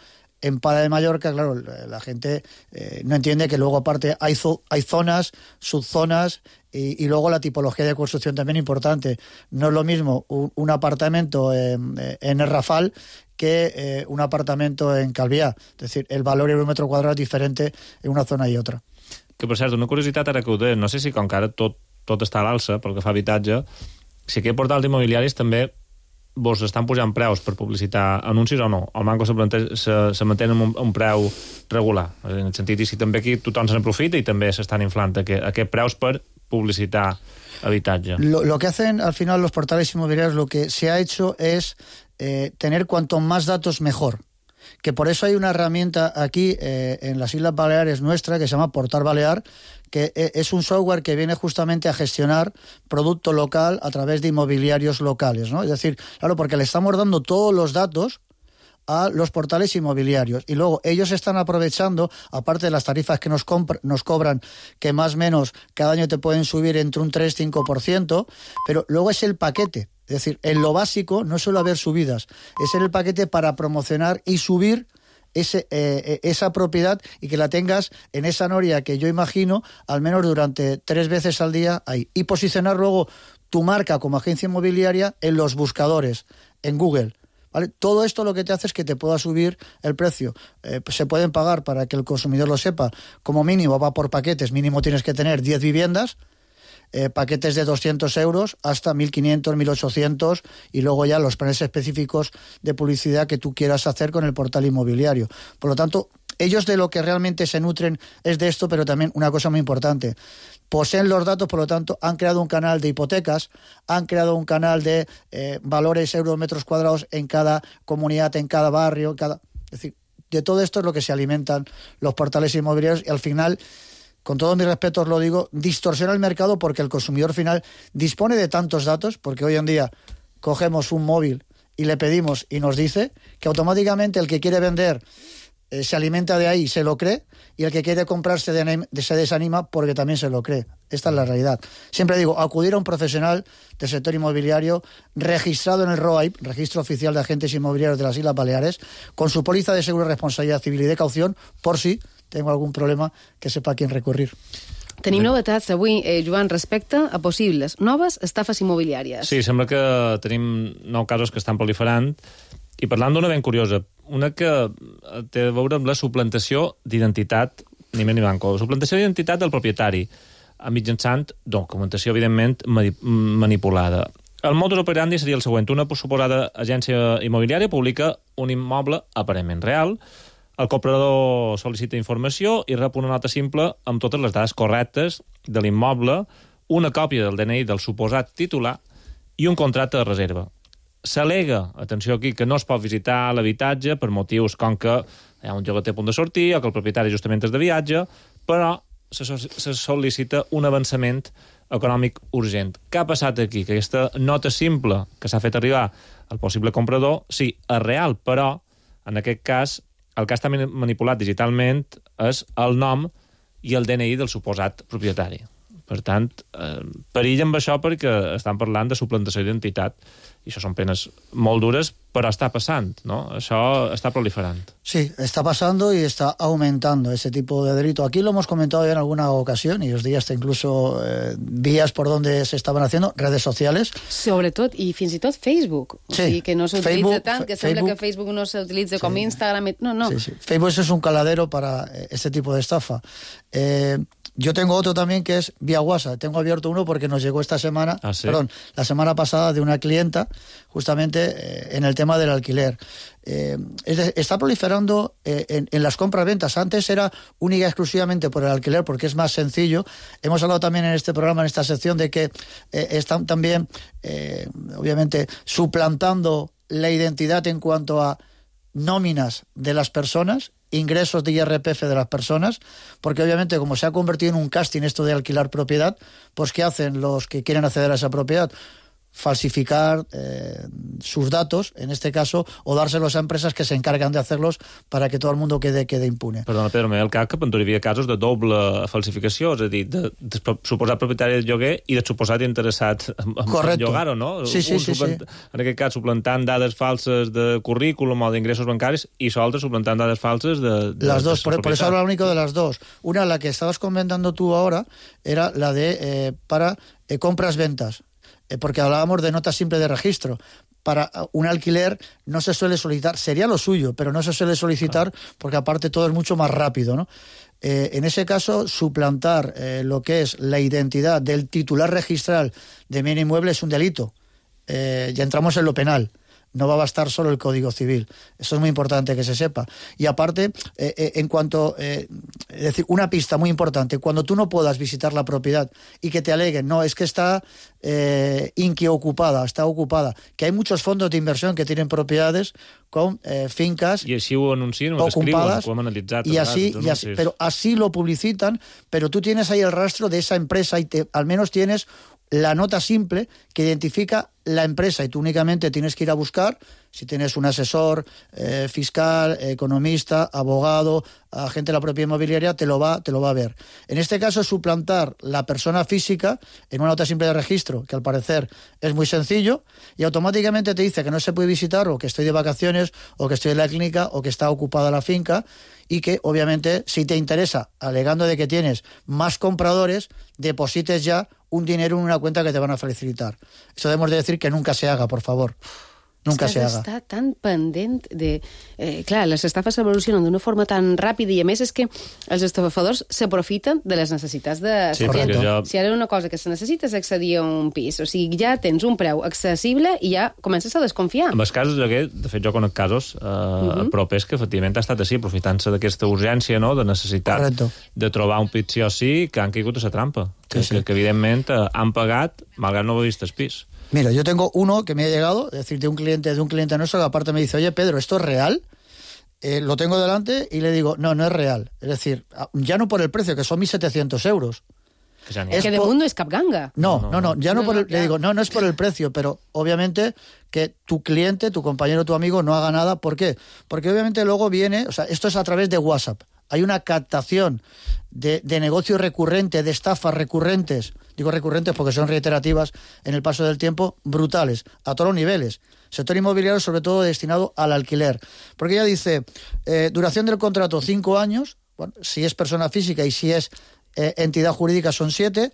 en Palma de Mallorca, claro, la gente eh, no entiende que luego aparte hay, zo hay zonas, subzonas y, y luego la tipología de construcción también importante. No es lo mismo un, un apartamento en, en el Rafal que eh, un apartamento en Calvià. Es decir, el valor euro metro cuadrado es diferente en una zona y otra. Que, per cert, una curiositat ara que ho deia, no sé si com que ara tot, tot està a l'alça pel que fa a habitatge, si aquest portal d'immobiliaris també vos estan pujant preus per publicitar anuncis o no? El banco se, se, se mantén un, un preu regular, en el sentit, i si també aquí tothom se n'aprofita i també s'estan inflant aquest, aquest preus per publicitar habitatge. Lo, lo que hacen al final los portales inmobiliarios, lo que se ha hecho es eh, tener cuanto más datos mejor. Que por eso hay una herramienta aquí eh, en las Islas Baleares nuestra que se llama Portal Balear, que es un software que viene justamente a gestionar producto local a través de inmobiliarios locales, ¿no? Es decir, claro, porque le estamos dando todos los datos a los portales inmobiliarios y luego ellos están aprovechando, aparte de las tarifas que nos, nos cobran, que más o menos cada año te pueden subir entre un tres a cinco por ciento, pero luego es el paquete. Es decir, en lo básico no suele haber subidas, es en el paquete para promocionar y subir ese, eh, esa propiedad y que la tengas en esa noria que yo imagino al menos durante tres veces al día ahí. Y posicionar luego tu marca como agencia inmobiliaria en los buscadores, en Google. ¿Vale? Todo esto lo que te hace es que te pueda subir el precio. Eh, se pueden pagar, para que el consumidor lo sepa, como mínimo va por paquetes, mínimo tienes que tener diez viviendas, Eh, paquetes de doscientos euros hasta mil quinientos, mil ochocientos y luego ya los planes específicos de publicidad que tú quieras hacer con el portal inmobiliario. Por lo tanto, ellos de lo que realmente se nutren es de esto, pero también una cosa muy importante. Poseen los datos, por lo tanto, han creado un canal de hipotecas, han creado un canal de eh, valores euros metros cuadrados en cada comunidad, en cada barrio, cada... es decir, de todo esto es lo que se alimentan los portales inmobiliarios y al final, con todos mis respetos lo digo, distorsiona el mercado porque el consumidor final dispone de tantos datos, porque hoy en día cogemos un móvil y le pedimos y nos dice que automáticamente el que quiere vender eh, se alimenta de ahí y se lo cree, y el que quiere comprar se, de, se desanima porque también se lo cree. Esta es la realidad. Siempre digo, acudir a un profesional del sector inmobiliario registrado en el R O A I P, Registro Oficial de Agentes Inmobiliarios de las Islas Baleares, con su póliza de seguro de responsabilidad civil y de caución, por si tengo algún problema, que sepa a quién recurrir. Tenim novetats avui, eh, Joan, respecte a possibles noves estafes immobiliàries. Sí, sembla que tenim nou casos que estan proliferant, i parlant d'una ben curiosa, una que té a veure amb la suplantació d'identitat, ni més ni manco, suplantació d'identitat del propietari, mitjançant documentació, evidentment, manipulada. El modus operandi seria el següent. Una suposada agència immobiliària publica un immoble aparentment real, el comprador sol·licita informació i rep una nota simple amb totes les dades correctes de l'immoble, una còpia del D N I del suposat titular i un contracte de reserva. S'al·lega, atenció aquí, que no es pot visitar l'habitatge per motius com que hi ha un llogater a punt de sortir o que el propietari justament és de viatge, però se, se sol·licita un avançament econòmic urgent. Què ha passat aquí? Que aquesta nota simple que s'ha fet arribar al possible comprador, sí, és real, però en aquest cas el que està manipulat digitalment és el nom i el D N I del suposat propietari. Per tant, eh, perill amb això perquè estan parlant de suplantació d'identitat i això són penes molt dures, però està passant, ¿no? Això està proliferant. Sí, está pasando y está aumentando ese tipo de delito. Aquí lo hemos comentado ya en alguna ocasión y os di hasta incluso eh, vías por donde se estaban haciendo, redes sociales. Sobretot, i fins i tot Facebook. O sí. sigui, que no s'utilitza tant, que Facebook, sembla que Facebook no s'utilitza sí. com Instagram. No, no. Sí, sí. Facebook es un caladero para este tipo de estafa. Eh... Yo tengo otro también que es vía WhatsApp. Tengo abierto uno porque nos llegó esta semana, ¿Ah, sí? perdón, la semana pasada de una clienta, justamente eh, en el tema del alquiler. Eh, es de, está proliferando eh, en, en las compras-ventas. Antes era única y exclusivamente por el alquiler porque es más sencillo. Hemos hablado también en este programa, en esta sección, de que eh, están también, eh, obviamente, suplantando la identidad en cuanto a nóminas de las personas, ingresos de I R P F de las personas, porque obviamente como se ha convertido en un casting esto de alquilar propiedad, pues ¿qué hacen los que quieren acceder a esa propiedad? falsificar eh, sus datos, en este caso, o dárselos a empresas que se encargan de hacerlos para que todo el mundo quede, quede impune. Perdona, Pedro, m'he el cap que hi havia casos de doble falsificació, és a dir, de, de suposat propietari del lloguer i de suposat interessat en, en llogar-ho, no? Sí, sí, sí, sí. En aquest cas, suplantant dades falses de currículum o d'ingressos bancaris i l'altre suplantant dades falses de... de las dos, de por, por eso hablo único de las dos. Una, la que estabas comentando tú ahora, era la de eh, para eh, compras-ventas. Porque hablábamos de nota simple de registro. Para un alquiler no se suele solicitar, sería lo suyo, pero no se suele solicitar porque aparte todo es mucho más rápido, ¿no? Eh, en ese caso, suplantar eh, lo que es la identidad del titular registral de bien inmueble es un delito. Eh, ya entramos en lo penal. No va a bastar solo el Código Civil. Eso es muy importante que se sepa. Y aparte, eh, eh, en cuanto... Eh, es decir, una pista muy importante. Cuando tú no puedas visitar la propiedad y que te aleguen, no, es que está eh, inquiocupada, está ocupada. Que hay muchos fondos de inversión que tienen propiedades con eh, fincas I així ho anuncien, ho ocupadas, descriuen, ho hem analitzat. Y así, vegades, y así, pero así lo publicitan, pero tú tienes ahí el rastro de esa empresa y te, al menos tienes la nota simple que identifica la empresa y tú únicamente tienes que ir a buscar, si tienes un asesor eh, fiscal, economista, abogado, agente de la propiedad inmobiliaria, te lo va, te lo va a ver. En este caso, suplantar la persona física en una nota simple de registro, que al parecer es muy sencillo, y automáticamente te dice que no se puede visitar, o que estoy de vacaciones, o que estoy en la clínica, o que está ocupada la finca, y que, obviamente, si te interesa, alegando de que tienes más compradores, deposites ya un dinero en una cuenta que te van a facilitar. Eso debemos de decir que nunca se haga, por favor. Nunca se haga. Està tan pendent de... Eh, clar, les estafes evolucionen d'una forma tan ràpida i, a més, és que els estafadors s'aprofiten de les necessitats de... Sí, perquè ja... Si ara una cosa que se necessita és accedir a un pis, o sigui, ja tens un preu accessible i ja comences a desconfiar. En els casos de que, de fet, jo conec casos eh, uh-huh. propers que, efectivament, ha estat així, aprofitant-se d'aquesta urgència, no?, de necessitat Correcto. de trobar un pit sí o sí, que han caigut a la trampa. Que, sí, sí. que, que evidentment, eh, han pagat, malgrat no haver vist el pis. Mira, yo tengo uno que me ha llegado, es decir, de un cliente de un cliente nuestro, que aparte me dice, oye, Pedro, ¿esto es real? Eh, lo tengo delante y le digo, no, no es real. Es decir, ya no por el precio, que son mil setecientos euros. Que, es que de por... mundo es capganga. No, no, no, no ya no, no por el... no, le digo, no, no es por el precio, pero obviamente que tu cliente, tu compañero, tu amigo no haga nada. ¿Por qué? Porque obviamente luego viene, o sea, esto es a través de WhatsApp. Hay una captación de, de negocio recurrente, de estafas recurrentes, digo recurrentes porque son reiterativas en el paso del tiempo, brutales, a todos los niveles. Sector inmobiliario, sobre todo destinado al alquiler. Porque ella dice, eh, duración del contrato, cinco años, bueno, si es persona física y si es eh, entidad jurídica son siete,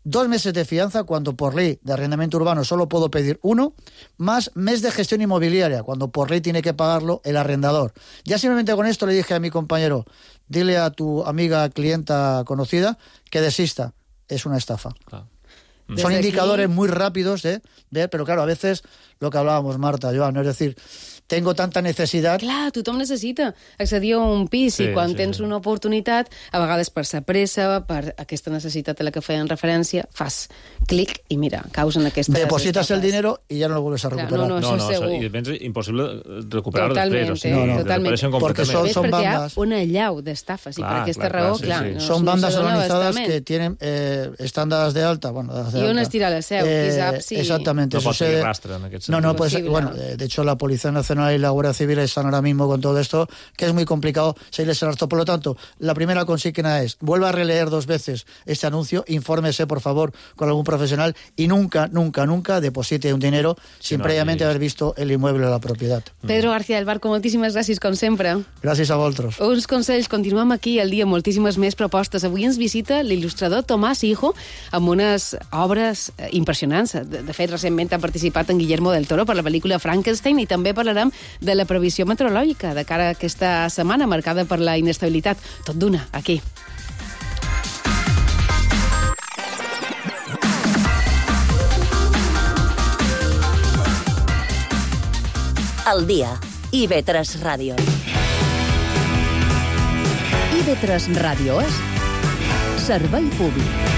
dos meses de fianza, cuando por ley de arrendamiento urbano solo puedo pedir uno, más mes de gestión inmobiliaria, cuando por ley tiene que pagarlo el arrendador. Ya simplemente con esto le dije a mi compañero, dile a tu amiga, clienta conocida, que desista. Es una estafa. Claro. Son indicadores muy rápidos de ver, pero claro, a veces lo que hablábamos, Marta, Joan, es decir, tengo tanta necesidad... Clar, tothom necessita accedir a un pis sí, i quan sí, tens sí. una oportunitat, a vegades per sa pressa, per aquesta necessitat a la que feien referència, fas clic i mira, causen aquesta... Depositas el dinero y ya no lo vuelves a recuperar. Clar, no, no, no, no, segur. I és impossible recuperar-ho després. O sigui, no, no. Totalment. Porque son, son perquè bandas... hi ha una allau d'estafes i per aquesta clar, raó, clar, sí, clar... sí. No, son bandas organizadas bastament. que tienen, eh, están dadas de alta, bueno, dadas de I alta. on es tira la seu, eh, qui sap si... Exactamente. No eso pot se... seguir rastre en aquest sentit. No, no, pues, bueno, de hecho la Policía Nacional y la Guardia Civil están ahora mismo con todo esto, que es muy complicado seguirles el rastro. Por lo tanto, la primera consigna es, vuelva a releer dos veces este anuncio, infórmese, por favor, con algún profesional y nunca, nunca, nunca deposite un dinero sin no, previamente haver visto el inmueble o la propietat. Pedro García del Barco, moltíssimes gràcies, com sempre. Gràcies a vosaltres. Uns consells, continuem aquí al dia, moltíssimes més propostes. Avui ens visita l'il·lustrador Tomàs Hijo amb unes obres impressionants. De, de fet, recentment ha participat en Guillermo del Toro per la pel·lícula Frankenstein i també parlarem de la previsió meteorològica de cara a aquesta setmana marcada per la inestabilitat. Tot d'una, aquí. El dia. I ve tres Ràdio. I ve tres Ràdio és servei públic.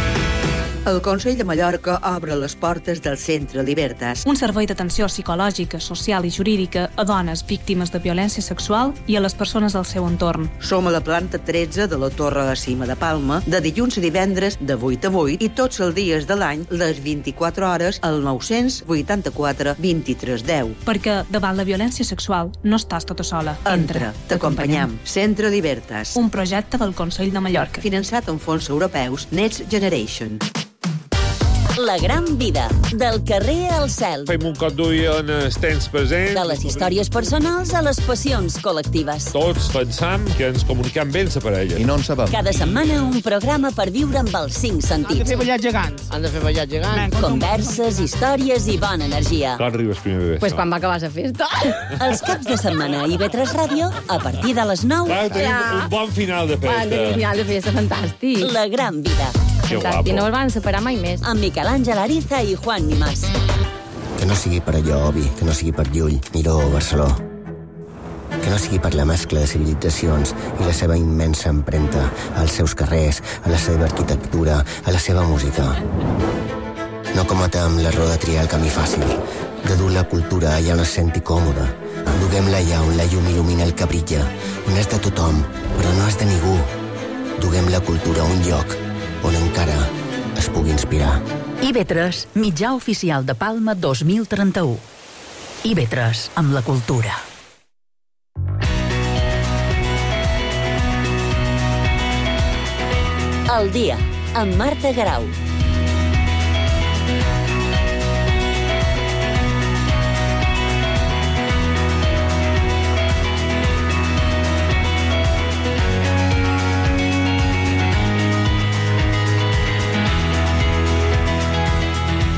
El Consell de Mallorca obre les portes del Centre Libertas. Un servei d'atenció psicològica, social i jurídica a dones víctimes de violència sexual i a les persones del seu entorn. Som a la planta tretze de la Torre de Cima de Palma, de dilluns a divendres de vuit a vuit i tots els dies de l'any, les vint-i-quatre hores, al nou-cents vuitanta-quatre vint-i-tres deu. Perquè davant la violència sexual no estàs tota sola. Entra, t'acompanyam. Centre Libertas. Un projecte del Consell de Mallorca. Finançat amb fons europeus Next Generation. La gran vida, del carrer al cel. Fem un cop d'ull on els temps presents. De les històries personals a les passions col·lectives. Tots pensam que ens comuniquem bé amb la parella. I no en sabem. Cada setmana un programa per viure amb els cinc sentits. Han de fer ballar gegants. Han de fer ballar gegants. Converses, històries i bona energia. Quan arribes primer de Pues quan va acabar la festa. Els caps de setmana a I V tres Ràdio, a partir de les nou. Clar, tenim ja. un bon final de festa. Tenim un final de festa fantàstic. La gran vida. Que guapo. I no els van separar mai més. Amb Miquel Àngel Ariza i Juan Nimás. Que no sigui per allò, Obi, que no sigui per Llull, Miró o Barceló. Que no sigui per la mescla de civilitzacions i la seva immensa empremta als seus carrers, a la seva arquitectura, a la seva música. No cometem l'error de triar el camí fàcil, de dur la cultura allà on es senti còmoda. Duguem-la allà on la llum il·lumina el que brilla, on és de tothom, però no és de ningú. Duguem la cultura a un lloc on encara es pugui inspirar. I V tres, mitjà oficial de Palma dos mil trenta-u. I V tres, amb la cultura. El dia, amb Marta Garau.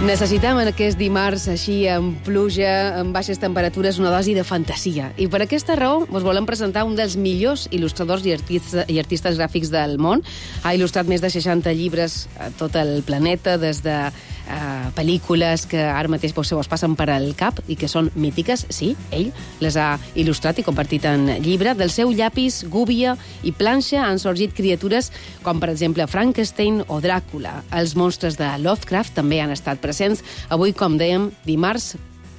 Necessitem en aquest dimarts, així, amb pluja, amb baixes temperatures, una dosi de fantasia. I per aquesta raó us volem presentar un dels millors il·lustradors i artistes, i artistes gràfics del món. Ha il·lustrat més de seixanta llibres a tot el planeta, des de uh, pel·lícules que ara mateix se vos passen per al cap i que són mítiques. Sí, ell les ha il·lustrat i compartit en llibre. Del seu llapis, gúbia i planxa han sorgit criatures com, per exemple, Frankenstein o Dràcula. Els monstres de Lovecraft també han estat presents. Avui, com dèiem, dimarts,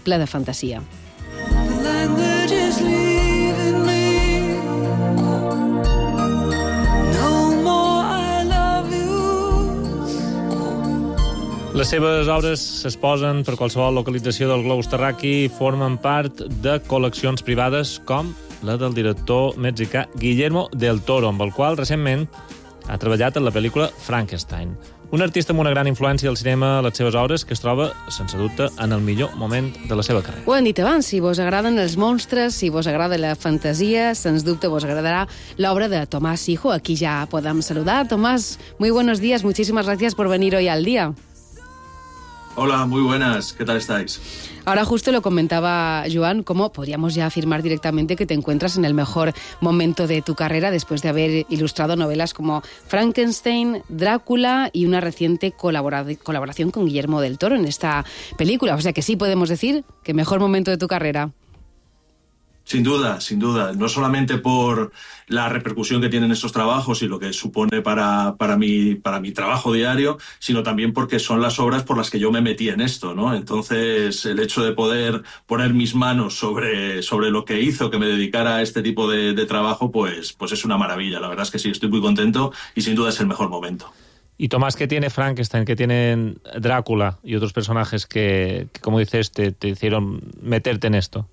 ple de fantasia. Les seves obres s'exposen per qualsevol localització del globus terraqui i formen part de col·leccions privades com la del director mexicà Guillermo del Toro, amb el qual recentment ha treballat en la pel·lícula Frankenstein. Un artista amb una gran influència al cinema a les seves obres que es troba, sense dubte, en el millor moment de la seva carrera. Ho hem dit abans, si vos agraden els monstres, si vos agrada la fantasia, sens dubte vos agradará l'obra de Tomás Hijo. Aquí ya podemos saludar. Tomás, muy buenos días, muchísimas gracias por venir hoy al día. Hola, muy buenas, ¿qué tal estáis? Ahora justo lo comentaba Joan, cómo podríamos ya afirmar directamente que te encuentras en el mejor momento de tu carrera después de haber ilustrado novelas como Frankenstein, Drácula y una reciente colabora- colaboración con Guillermo del Toro en esta película. O sea que sí podemos decir que mejor momento de tu carrera. Sin duda, sin duda. No solamente por la repercusión que tienen estos trabajos y lo que supone para, para, mi, para mi trabajo diario, sino también porque son las obras por las que yo me metí en esto, ¿no? Entonces, el hecho de poder poner mis manos sobre, sobre lo que hizo que me dedicara a este tipo de, de trabajo, pues, pues es una maravilla. La verdad es que sí, estoy muy contento y sin duda es el mejor momento. Y Tomás, ¿qué tiene Frankenstein, qué tiene Drácula y otros personajes que, que como dices, te, te hicieron meterte en esto?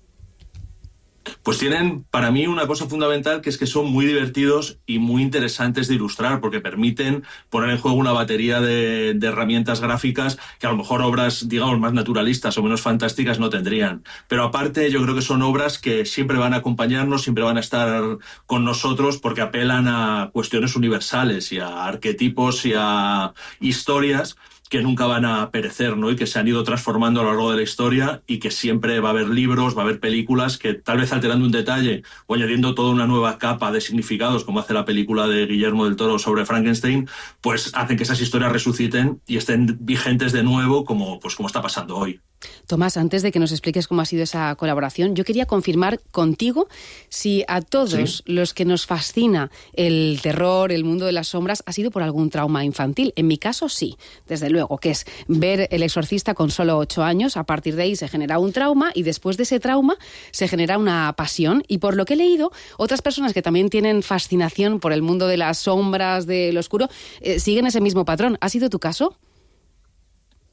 Pues tienen para mí una cosa fundamental, que es que son muy divertidos y muy interesantes de ilustrar, porque permiten poner en juego una batería de, de herramientas gráficas que a lo mejor obras, digamos, más naturalistas o menos fantásticas no tendrían. Pero aparte yo creo que son obras que siempre van a acompañarnos, siempre van a estar con nosotros, porque apelan a cuestiones universales y a arquetipos y a historias que nunca van a perecer, ¿no? Y que se han ido transformando a lo largo de la historia y que siempre va a haber libros, va a haber películas que tal vez alterando un detalle o añadiendo toda una nueva capa de significados, como hace la película de Guillermo del Toro sobre Frankenstein, pues hacen que esas historias resuciten y estén vigentes de nuevo, como, pues, como está pasando hoy. Tomás, antes de que nos expliques cómo ha sido esa colaboración, yo quería confirmar contigo si a todos sí. los que nos fascina el terror, el mundo de las sombras, ha sido por algún trauma infantil. En mi caso, sí, desde luego, que es ver El Exorcista con solo ocho años. A partir de ahí se genera un trauma y después de ese trauma se genera una pasión. Y por lo que he leído, otras personas que también tienen fascinación por el mundo de las sombras, del oscuro, eh, siguen ese mismo patrón. ¿Ha sido tu caso?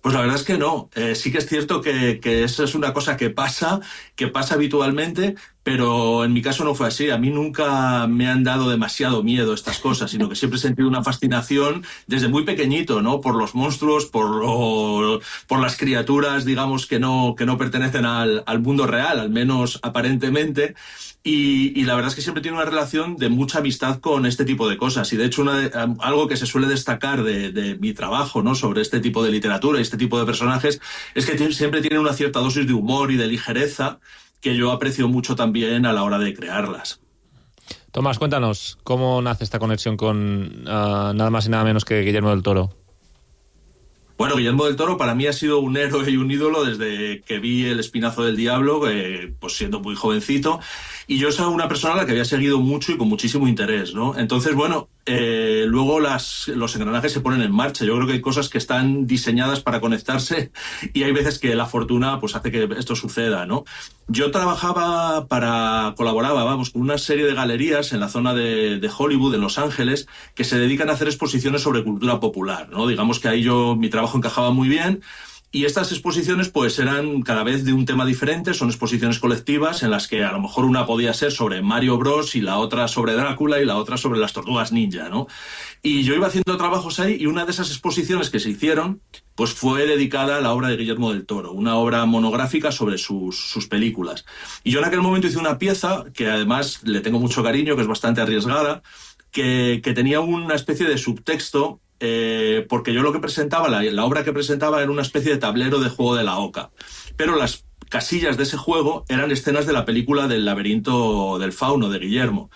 Pues la verdad es que no. Eh, sí que es cierto que, que eso es una cosa que pasa, que pasa habitualmente, pero en mi caso no fue así. A mí nunca me han dado demasiado miedo estas cosas, sino que siempre he sentido una fascinación desde muy pequeñito, ¿no? Por los monstruos, por, lo, por las criaturas, digamos, que no, que no pertenecen al, al mundo real, al menos aparentemente. Y, y la verdad es que siempre tiene una relación de mucha amistad con este tipo de cosas. Y de hecho, una de, algo que se suele destacar de, de mi trabajo, ¿no? Sobre este tipo de literatura y este tipo de personajes es que tiene, siempre tienen una cierta dosis de humor y de ligereza que yo aprecio mucho también a la hora de crearlas. Tomás, cuéntanos, ¿cómo nace esta conexión con uh, nada más y nada menos que Guillermo del Toro? Bueno, Guillermo del Toro para mí ha sido un héroe y un ídolo desde que vi El Espinazo del Diablo, eh, pues siendo muy jovencito, y yo soy una persona a la que había seguido mucho y con muchísimo interés, ¿no? Entonces, bueno, eh, luego las, los engranajes se ponen en marcha. Yo creo que hay cosas que están diseñadas para conectarse y hay veces que la fortuna pues hace que esto suceda, ¿no? Yo trabajaba para, colaboraba, vamos, con una serie de galerías en la zona de, de Hollywood, en Los Ángeles, que se dedican a hacer exposiciones sobre cultura popular, ¿no? Digamos que ahí yo, mi trabajo encajaba muy bien. Y estas exposiciones pues eran cada vez de un tema diferente, son exposiciones colectivas en las que a lo mejor una podía ser sobre Mario Bros y la otra sobre Drácula y la otra sobre las tortugas ninja, ¿no? Y yo iba haciendo trabajos ahí y una de esas exposiciones que se hicieron pues fue dedicada a la obra de Guillermo del Toro, una obra monográfica sobre sus, sus películas. Y yo en aquel momento hice una pieza que además le tengo mucho cariño, que es bastante arriesgada, que, que tenía una especie de subtexto. Eh, porque yo lo que presentaba, la, la obra que presentaba era una especie de tablero de juego de la oca, pero las casillas de ese juego eran escenas de la película del laberinto del fauno de Guillermo.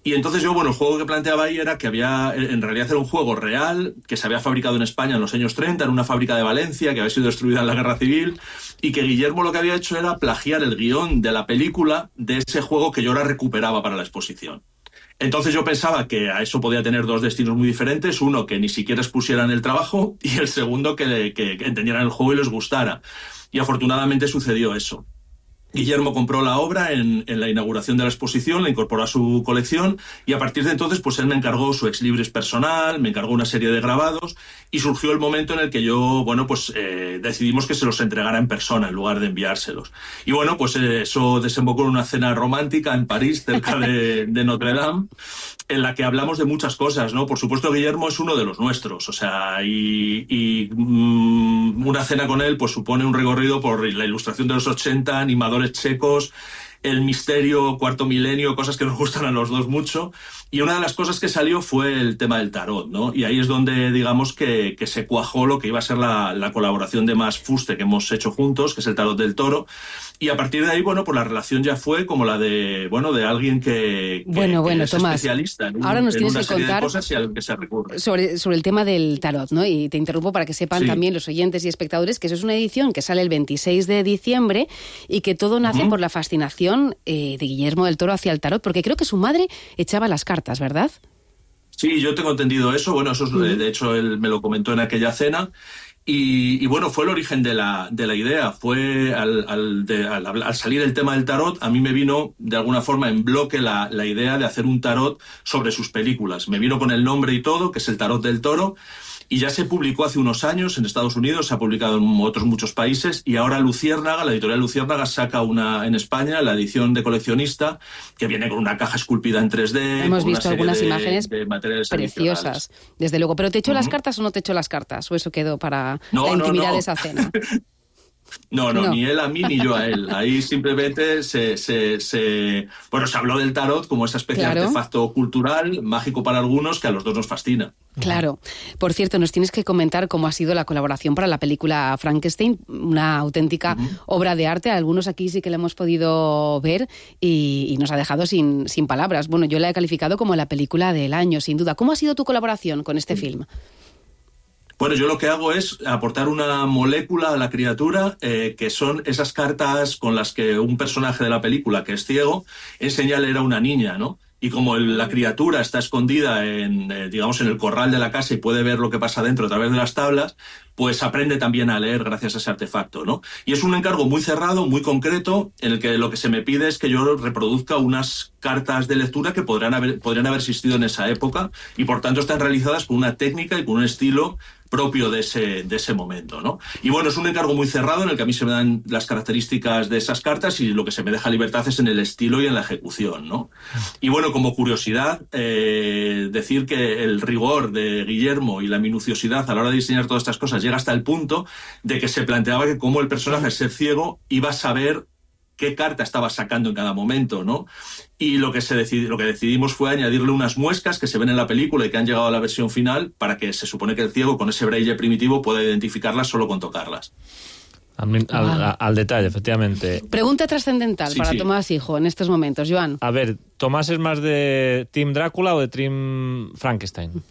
Y entonces yo, bueno, el juego que planteaba ahí era que había, en realidad era un juego real, que se había fabricado en España en los años treinta, en una fábrica de Valencia, que había sido destruida en la Guerra Civil, y que Guillermo lo que había hecho era plagiar el guión de la película de ese juego que yo ahora recuperaba para la exposición. Entonces yo pensaba que a eso podía tener dos destinos muy diferentes, uno que ni siquiera expusieran el trabajo y el segundo que, que, que entendieran el juego y les gustara. Y afortunadamente sucedió eso. Guillermo compró la obra en, en la inauguración de la exposición, la incorporó a su colección y a partir de entonces pues él me encargó su ex libris personal, me encargó una serie de grabados y surgió el momento en el que yo, bueno, pues eh, decidimos que se los entregara en persona en lugar de enviárselos. Y bueno, pues eh, eso desembocó en una cena romántica en París, cerca de, de Notre Dame, en la que hablamos de muchas cosas, ¿no? Por supuesto, Guillermo es uno de los nuestros, o sea, y, y mmm, una cena con él pues supone un recorrido por la ilustración de los ochenta, animadores checos, el misterio, cuarto milenio, cosas que nos gustan a los dos mucho. Y una de las cosas que salió fue el tema del tarot, ¿no? Y ahí es donde, digamos, que, que se cuajó lo que iba a ser la, la colaboración de más fuste que hemos hecho juntos, que es el tarot del Toro. Y a partir de ahí, bueno, pues la relación ya fue como la de, bueno, de alguien que, que, bueno, bueno, que es Tomás, especialista en, ahora nos en tienes una que serie contar de cosas y al que se recurre. Sobre, sobre el tema del tarot, ¿no? Y te interrumpo para que sepan Sí. también los oyentes y espectadores que eso es una edición que sale el veintiséis de diciembre y que todo nace Ujú. por la fascinación eh, de Guillermo del Toro hacia el tarot, porque creo que su madre echaba las cartas, ¿verdad? Sí, yo tengo entendido eso. Bueno, eso es, Ujú. de hecho él me lo comentó en aquella cena. Y, y bueno, fue el origen de la, de la idea. Fue al, al, de, al, al salir el tema del tarot, a mí me vino de alguna forma en bloque la, la idea de hacer un tarot sobre sus películas. Me vino con el nombre y todo, que es el Tarot del Toro. Y ya se publicó hace unos años en Estados Unidos, se ha publicado en otros muchos países y ahora Luciérnaga, la editorial Luciérnaga, saca una en España, la edición de coleccionista, que viene con una caja esculpida en tres D. Hemos con visto una serie algunas de, imágenes de materiales preciosas, adicionales. desde luego. ¿Pero te echó las Ujú. cartas o no te echó las cartas? ¿O eso quedó para No, la no, intimidad no. de esa cena? No, no, No. ni él a mí ni yo a él. Ahí simplemente se, se, se... Bueno, se habló del tarot como esa especie Claro. de artefacto cultural, mágico para algunos, que a los dos nos fascina. Claro. Por cierto, nos tienes que comentar cómo ha sido la colaboración para la película Frankenstein, una auténtica uh-huh. obra de arte. Algunos aquí sí que la hemos podido ver y, y nos ha dejado sin, sin palabras. Bueno, yo la he calificado como la película del año, sin duda. ¿Cómo ha sido tu colaboración con este uh-huh. film? Bueno, yo lo que hago es aportar una molécula a la criatura, eh, que son esas cartas con las que un personaje de la película, que es ciego, enseña a leer a una niña, ¿no? Y como el, la criatura está escondida en, eh, digamos, en el corral de la casa y puede ver lo que pasa dentro a través de las tablas, pues aprende también a leer gracias a ese artefacto, ¿no? Y es un encargo muy cerrado, muy concreto, en el que lo que se me pide es que yo reproduzca unas cartas de lectura que podrían haber, podrían haber existido en esa época y, por tanto, están realizadas con una técnica y con un estilo propio de ese, de ese momento, ¿no? Y bueno, es un encargo muy cerrado en el que a mí se me dan las características de esas cartas y lo que se me deja libertad es en el estilo y en la ejecución, ¿no? Y bueno, como curiosidad, eh, decir que el rigor de Guillermo y la minuciosidad a la hora de diseñar todas estas cosas llega hasta el punto de que se planteaba que como el personaje, al ser ciego, iba a saber qué carta estaba sacando en cada momento, ¿no? Y lo que, se decidi- lo que decidimos fue añadirle unas muescas que se ven en la película y que han llegado a la versión final para que se supone que el ciego, con ese braille primitivo, pueda identificarlas solo con tocarlas. Al, al, al detalle, efectivamente. Pregunta trascendental Sí, para sí. Tomás Hijo en estos momentos, Joan. A ver, ¿Tomás es más de Team Drácula o de Team Frankenstein?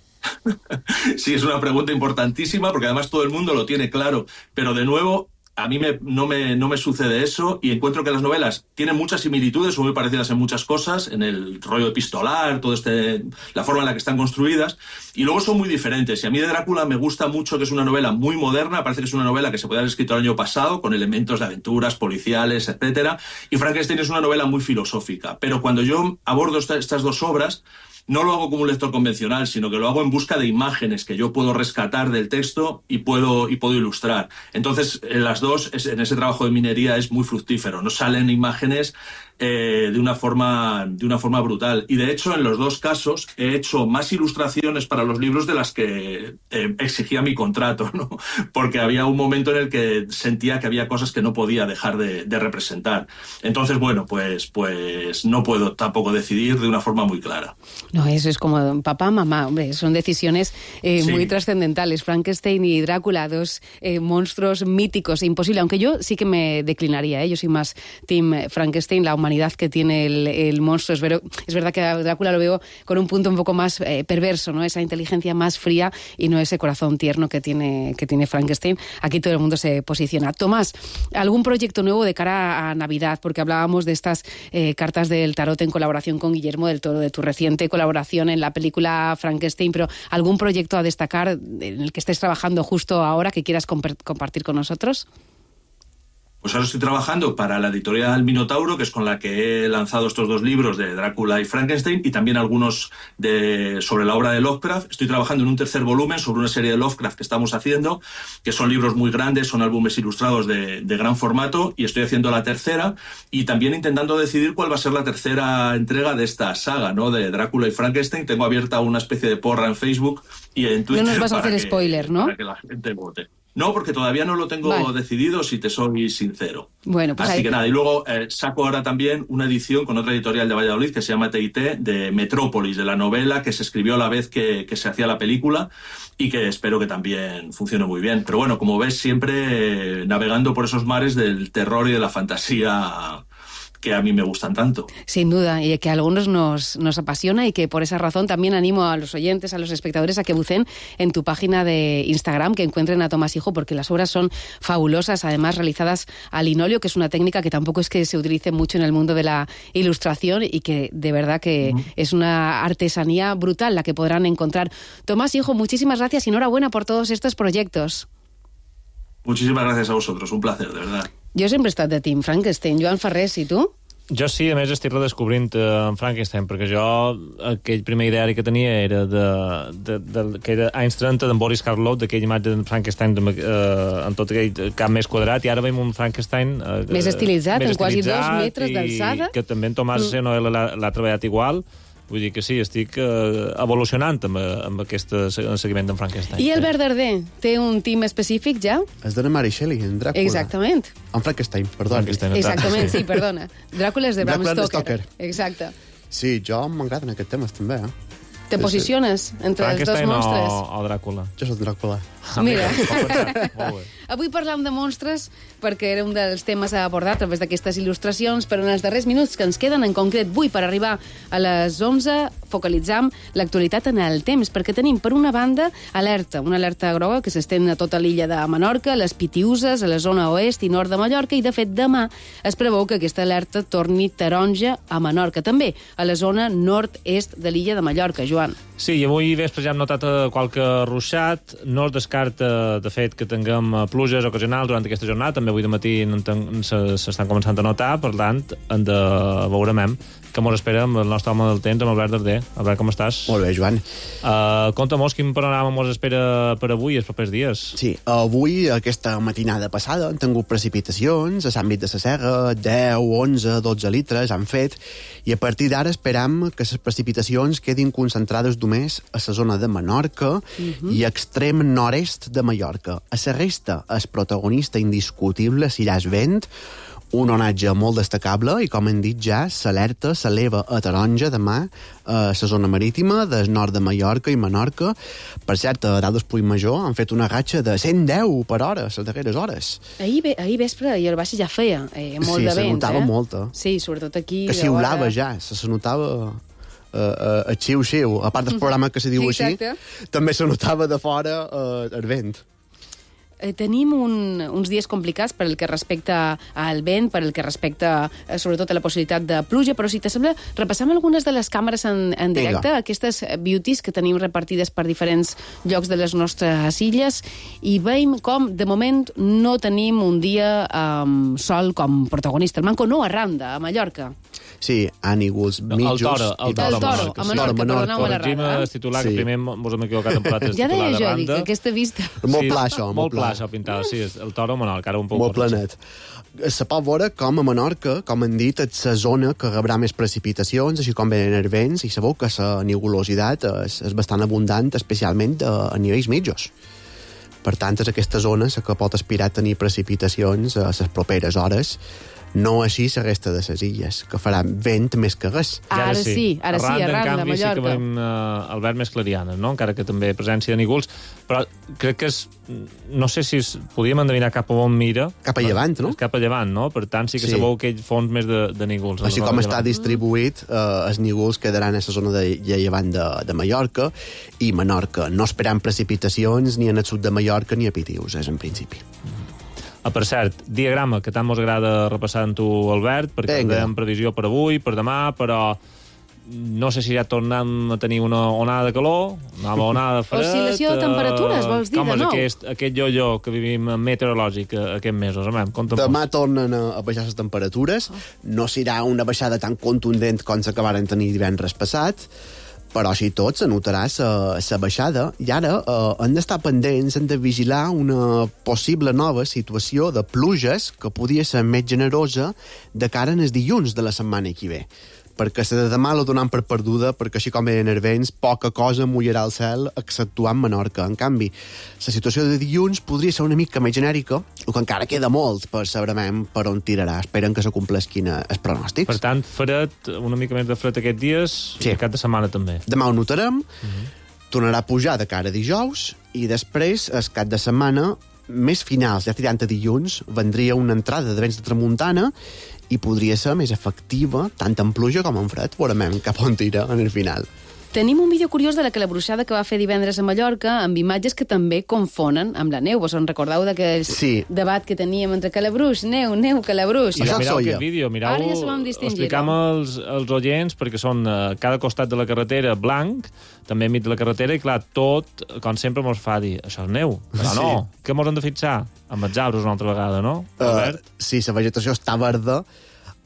Sí, es una pregunta importantísima porque además todo el mundo lo tiene claro, pero de nuevo a mí me, no, me, no me sucede eso y encuentro que las novelas tienen muchas similitudes, son muy parecidas en muchas cosas, en el rollo epistolar, todo este, la forma en la que están construidas, y luego son muy diferentes. Y a mí de Drácula me gusta mucho que es una novela muy moderna, parece que es una novela que se puede haber escrito el año pasado, con elementos de aventuras, policiales, etcétera, y Frankenstein es una novela muy filosófica. Pero cuando yo abordo esta, estas dos obras, no lo hago como un lector convencional, sino que lo hago en busca de imágenes que yo puedo rescatar del texto y puedo, y puedo ilustrar. Entonces, en las dos, en ese trabajo de minería es muy fructífero. Nos salen imágenes eh, de una forma, de una forma brutal. Y de hecho, en los dos casos, he hecho más ilustraciones para los libros de las que eh, exigía mi contrato, ¿no? Porque había un momento en el que sentía que había cosas que no podía dejar de, de representar. Entonces, bueno, pues, pues no puedo tampoco decidir de una forma muy clara. No, eso es como papá, mamá, hombre, son decisiones eh, Sí. muy trascendentales. Frankenstein y Drácula, dos eh, monstruos míticos, imposible, aunque yo sí que me declinaría, ¿eh? Yo soy más Team Frankenstein, la humanidad que tiene el, el monstruo. Es, ver, es verdad que a Drácula lo veo con un punto un poco más eh, perverso, ¿no? Esa inteligencia más fría y no ese corazón tierno que tiene, que tiene Frankenstein. Aquí todo el mundo se posiciona. Tomás, ¿algún proyecto nuevo de cara a Navidad? Porque hablábamos de estas eh, cartas del tarot en colaboración con Guillermo del Toro, de tu reciente colaboración en la película Frankenstein, pero ¿algún proyecto a destacar en el que estés trabajando justo ahora que quieras comp- compartir con nosotros? Pues ahora estoy trabajando para la editorial Minotauro, que es con la que he lanzado estos dos libros de Drácula y Frankenstein, y también algunos de, sobre la obra de Lovecraft. Estoy trabajando en un tercer volumen sobre una serie de Lovecraft que estamos haciendo, que son libros muy grandes, son álbumes ilustrados de, de gran formato, y estoy haciendo la tercera, y también intentando decidir cuál va a ser la tercera entrega de esta saga, ¿no? De Drácula y Frankenstein. Tengo abierta una especie de porra en Facebook y en Twitter. No nos vas a hacer que, spoiler, ¿no? Para que la gente vote. No, porque todavía no lo tengo Vale. decidido, si te soy sincero. Bueno, pues Así ahí- que nada, y luego eh, saco ahora también una edición con otra editorial de Valladolid que se llama T y T, de Metrópolis, de la novela que se escribió a la vez que, que se hacía la película y que espero que también funcione muy bien. Pero bueno, como ves, siempre eh, navegando por esos mares del terror y de la fantasía que a mí me gustan tanto. Sin duda, y que a algunos nos, nos apasiona y que por esa razón también animo a los oyentes, a los espectadores a que buceen en tu página de Instagram, que encuentren a Tomás Hijo, porque las obras son fabulosas, además realizadas al linóleo, que es una técnica que tampoco es que se utilice mucho en el mundo de la ilustración y que de verdad que uh-huh. es una artesanía brutal la que podrán encontrar. Tomás Hijo, muchísimas gracias y enhorabuena por todos estos proyectos. Muchísimas gracias a vosotros, un placer, de verdad. Jo sempre he estat de Team Frankenstein. Joan Ferrés, i tu? Jo sí, a més estic redescobrint eh, en Frankenstein, perquè jo aquell primer ideari que tenia era de, de, de, que era anys trenta d'en Boris Karloff, d'aquella imatge de Frankenstein de, eh, en tot aquell cap més quadrat, i ara veiem un Frankenstein eh, més estilitzat, més en quasi estilitzat dos metres d'alçada. Que també en Tomàs mm. Senoel l'ha treballat igual. Vull dir que sí, estic uh, evolucionant amb, amb aquest seguiment d'en Frankenstein. I Albert Darder té un team específic ja? És de Mary Shelley, en Dràcula. Exactament. En Frankenstein, perdó. Frankenstein, Exactament, sí, perdona. Dràcula és de Bram Dràcula Stoker. Stoker. Exacte. Sí, jo m'agraden aquests temes també, eh? Te posiciones entre els dos monstres? O, o Dràcula? Jo soc Dràcula. Mira. Avui parlam de monstres perquè era un dels temes a abordar a través d'aquestes il·lustracions, però en els darrers minuts que ens queden, en concret avui per arribar a les onze, focalitzam l'actualitat en el temps, perquè tenim, per una banda, alerta, una alerta groga que s'estén a tota l'illa de Menorca, les Pitiüses, a la zona oest i nord de Mallorca, i, de fet, demà es preveu que aquesta alerta torni taronja a Menorca, també a la zona nord-est de l'illa de Mallorca, Joan. Sí, i avui vespre ja hem notat qualque ruixat. No es descarta, de fet, que tinguem pluges ocasionals durant aquesta jornada. També avui de matí s'estan començant a notar, per tant, en de veurem que mos espera amb el nostre home del temps, amb Albert Darder. Albert, com estàs? Molt bé, Joan. Uh, Conta-mos quin panorama mos espera per avui, els propers dies. Sí, avui, aquesta matinada passada, han tingut precipitacions a l'àmbit de la Serra, deu, onze, dotze litres han fet, i a partir d'ara esperam que les precipitacions quedin concentrades només a la zona de Menorca uh-huh. i extrem nord-est de Mallorca. A la resta, el protagonista indiscutible serà el vent, un onatge molt destacable, i com hem dit ja, l'alerta s'eleva a taronja demà a la zona marítima del nord de Mallorca i Menorca. Per cert, a dalt del Puigmajor han fet una ratxa de cent deu per hora, les darreres hores. Ahir, ve, ahir vespre i el Baixa ja feia eh, molt sí, de vent. Sí, se notava eh? molta. Sí, sobretot aquí. Que xiulava hora... ja, se, se notava... Uh, uh, el xiu-xiu, a part del programa que se diu Exacte. Així, també se notava de fora uh, el vent. Eh, tenim un, uns dies complicats per el que respecta al vent, per el que respecta eh, sobretot a la possibilitat de pluja, però si t'assembla, repassam algunes de les càmeres en, en directe, Vinga. Aquestes beauties que tenim repartides per diferents llocs de les nostres illes, i veiem com, de moment, no tenim un dia amb sol com protagonista. El Manco no arranda, a Mallorca. Sí, ànigols, mitjos... El toro, el toro, el toro a Menorca, perdoneu-me la rada. El titular, sí. Que primer mos hem equivocat en plates ja titular de deia jo, banda. dic, aquesta vista... Molt pla, això, molt pla. Molt pla, pintada, sí, el toro a Menorca, ara un poc... Molt planet. Se pot veure com a Menorca, com han dit, és la zona que rebrà més precipitacions, així com venen els vents, i sabeu que la nigulositat és, és bastant abundant, especialment a, a nivells mitjos. Per tant, és aquesta zona que pot aspirar a tenir precipitacions a les properes hores, no així la resta de les illes, que faran vent més que res. Ara, ara sí, ara sí, arran de Mallorca. Sí que veiem uh, Albert més clarianes, no? Encara que també presència de nígols, però crec que és... No sé si es, podíem endevinar cap a on mira. Cap a llevant, no? Cap a llevant, no? Per tant, sí que sí. Sabeu aquell fons més de, de nígols. Així com està distribuït, eh, els nígols quedaran a la zona de, de llevant de, de Mallorca i Menorca. No esperant precipitacions ni en el sud de Mallorca ni a Pitiüses, en principi. Ah, per cert, diagrama, que tant mos agrada repassar amb tu, Albert, perquè hem previsió per avui, per demà, però no sé si ja tornem a tenir una onada de calor, una onada de fred... Oscil·lació de temperatures, vols dir, de nou? Com és aquest, aquest yo-yo que vivim meteorològic aquests mesos? Demà tornen a baixar les temperatures, no serà una baixada tan contundent com s'acabaren tenir divendres passat, però així tot se notarà la baixada, i ara eh, hem d'estar pendents, hem de vigilar una possible nova situació de pluges que podria ser més generosa de cara en els dilluns de la setmana que ve. Perquè la de demà la donem per perduda, perquè així com eren els vents, poca cosa mullarà el cel, exceptuant Menorca. En canvi, la situació de dilluns podria ser una mica més genèrica, el que encara queda molt per saber per on tirarà. Esperen que se complesquin els pronòstics. Per tant, fred, una mica més de fred aquests dies, sí. I cap de setmana també. Demà ho notarem, uh-huh. Tornarà a pujar de cara a dijous, i després, el cap de setmana, més finals, ja tirant a dilluns, vendria una entrada de vents de tramuntana i podria ser més efectiva tant en pluja com en fred. Veurem cap on tira en el final. Tenim un vídeo curiós de la calabruixada que va fer divendres a Mallorca, amb imatges que també confonen amb la neu. Vos en recordeu d'aquell sí. debat que teníem entre calabruix, neu, neu, calabruix? I mireu aquest vídeo, mireu, ja explicam als, als oients, perquè són uh, cada costat de la carretera blanc, també enmig de la carretera, i clar, tot, com sempre, mos fa dir, això és neu. Però no, sí. Què mos hem de fixar? Amb els arbres una altra vegada, no? Uh, sí, la vegetació està verda,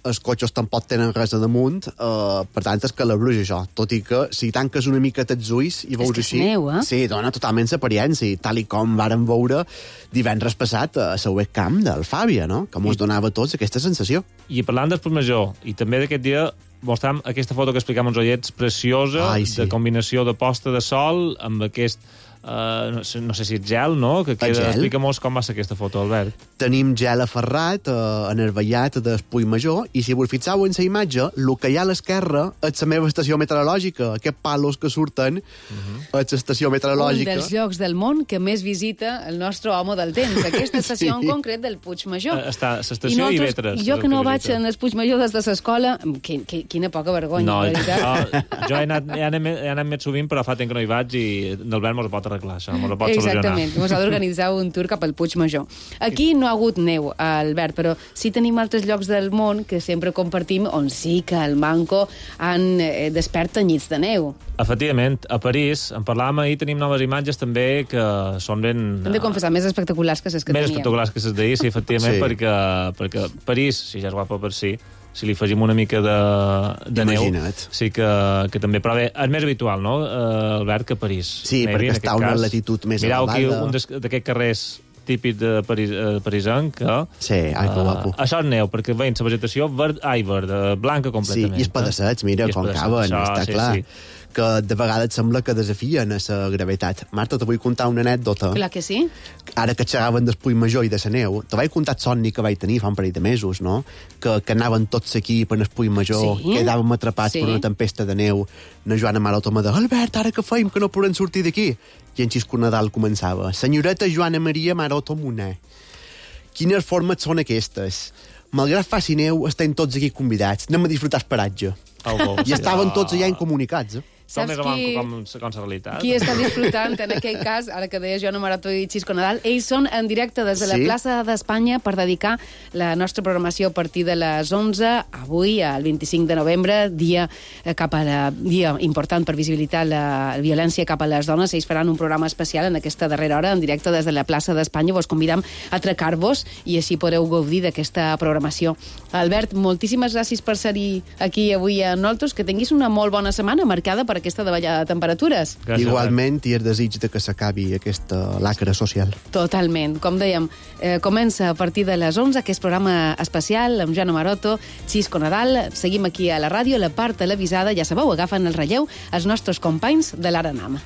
els cotxes tampoc tenen res a damunt, uh, per tant és calabruix això, tot i que si tanques una mica els ulls i veus així... Neu, eh? Sí, dona totalment l'apariència, tal i com vàrem veure divendres passat a la webcam del Fàbia, no? Que mos donava a tots aquesta sensació. I parlant del Puigmajor, i també d'aquest dia, mostrem aquesta foto que explicàvem als oients, preciosa, Ai, sí. De combinació de posta de sol amb aquest Uh, no, sé, no sé si és gel, no? Que queda... Explica-mos com va ser aquesta foto, Albert. Tenim gel aferrat, uh, enervellat del Puig Major, i si vos fixeu en la imatge, el que hi ha a l'esquerra és la meva estació meteorològica. Aquests palos que surten uh-huh. és l'estació meteorològica. Un dels llocs del món que més visita el nostre home del temps. Aquesta estació sí. en concret del Puig Major. Uh, està l'estació i Vetres. Jo que no que vaig en el Puig Major des de l'escola, que, que, quina poca vergonya, no, la veritat. No, jo he anat, he, anat, he anat més sovint, però fa temps que no hi vaig i l'Albert mos ho pot arreglar, això, mos ho pot solucionar. Exactament, mos ha d'organitzar un tour cap al Puig Major. Aquí no ha hagut neu, Albert, però sí tenim altres llocs del món que sempre compartim on sí que el manco han eh, desperta nits de neu. Efectivament, a París, en parlàvem ahir, tenim noves imatges també que són ben... Hem de confessar, més espectaculars que les que més teníem. Més espectaculars que les d'ahir, sí, efectivament, sí. Perquè, perquè París, si ja és guapa per si, si li afegim una mica de, de neu, sí que, que també... Però bé, és més habitual, no, uh, Albert, que París. Sí, Nevi, perquè està a una latitud més mireu elevada. Mireu aquí un d'aquests carrers típic de Paris, uh, parisenc, que... Sí, ai, que guapo. Uh, això és neu, perquè veiem la vegetació verd, ai, verd, blanca completament. Sí, i els pedaçets, mira, com caben, això, està sí, clar. Sí. Que de vegades sembla que desafien a la gravetat. Marta, te vull contar una anècdota. Clar que sí. Ara que xerraven del Puig Major i de la neu, te vaig contar el somni que vaig tenir fa un parell de mesos, no? Que, que anaven tots aquí per el Puig Major, sí? Quedàvem atrapats sí. per una tempesta de neu. La Joana Maroto me deia, Albert, ara què feim, que no podem sortir d'aquí? I en Xisco Nadal començava, senyoreta Joana Maria Maroto Moner, quines formes són aquestes? Malgrat faci neu, estem tots aquí convidats. Anem a disfrutar el paratge. Oh, I estaven tots allà incomunicats, eh? Saps qui... Com, com la realitat. Qui està disfrutant en aquell cas, ara que deia Joana Maroto i Xisco Nadal, ells són en directe des de la sí? plaça d'Espanya per dedicar la nostra programació a partir de les onze, avui, el vint-i-cinc de novembre, dia cap a la dia important per visibilitar la violència cap a les dones. Ells faran un programa especial en aquesta darrera hora, en directe des de la plaça d'Espanya. Vos convidam a atracar-vos i així podeu gaudir d'aquesta programació. Albert, moltíssimes gràcies per ser-hi aquí avui a nosaltres. Que tinguis una molt bona setmana marcada per aquesta davallada de temperatures. Gràcies, igualment, i el desig de que s'acabi aquesta lacra social. Totalment. Com dèiem, eh, comença a partir de les onze aquest programa especial amb Joana Maroto, Xisco Nadal. Seguim aquí a la ràdio, la part televisada, ja sabeu, agafen el relleu els nostres companys de l'Ara Nama.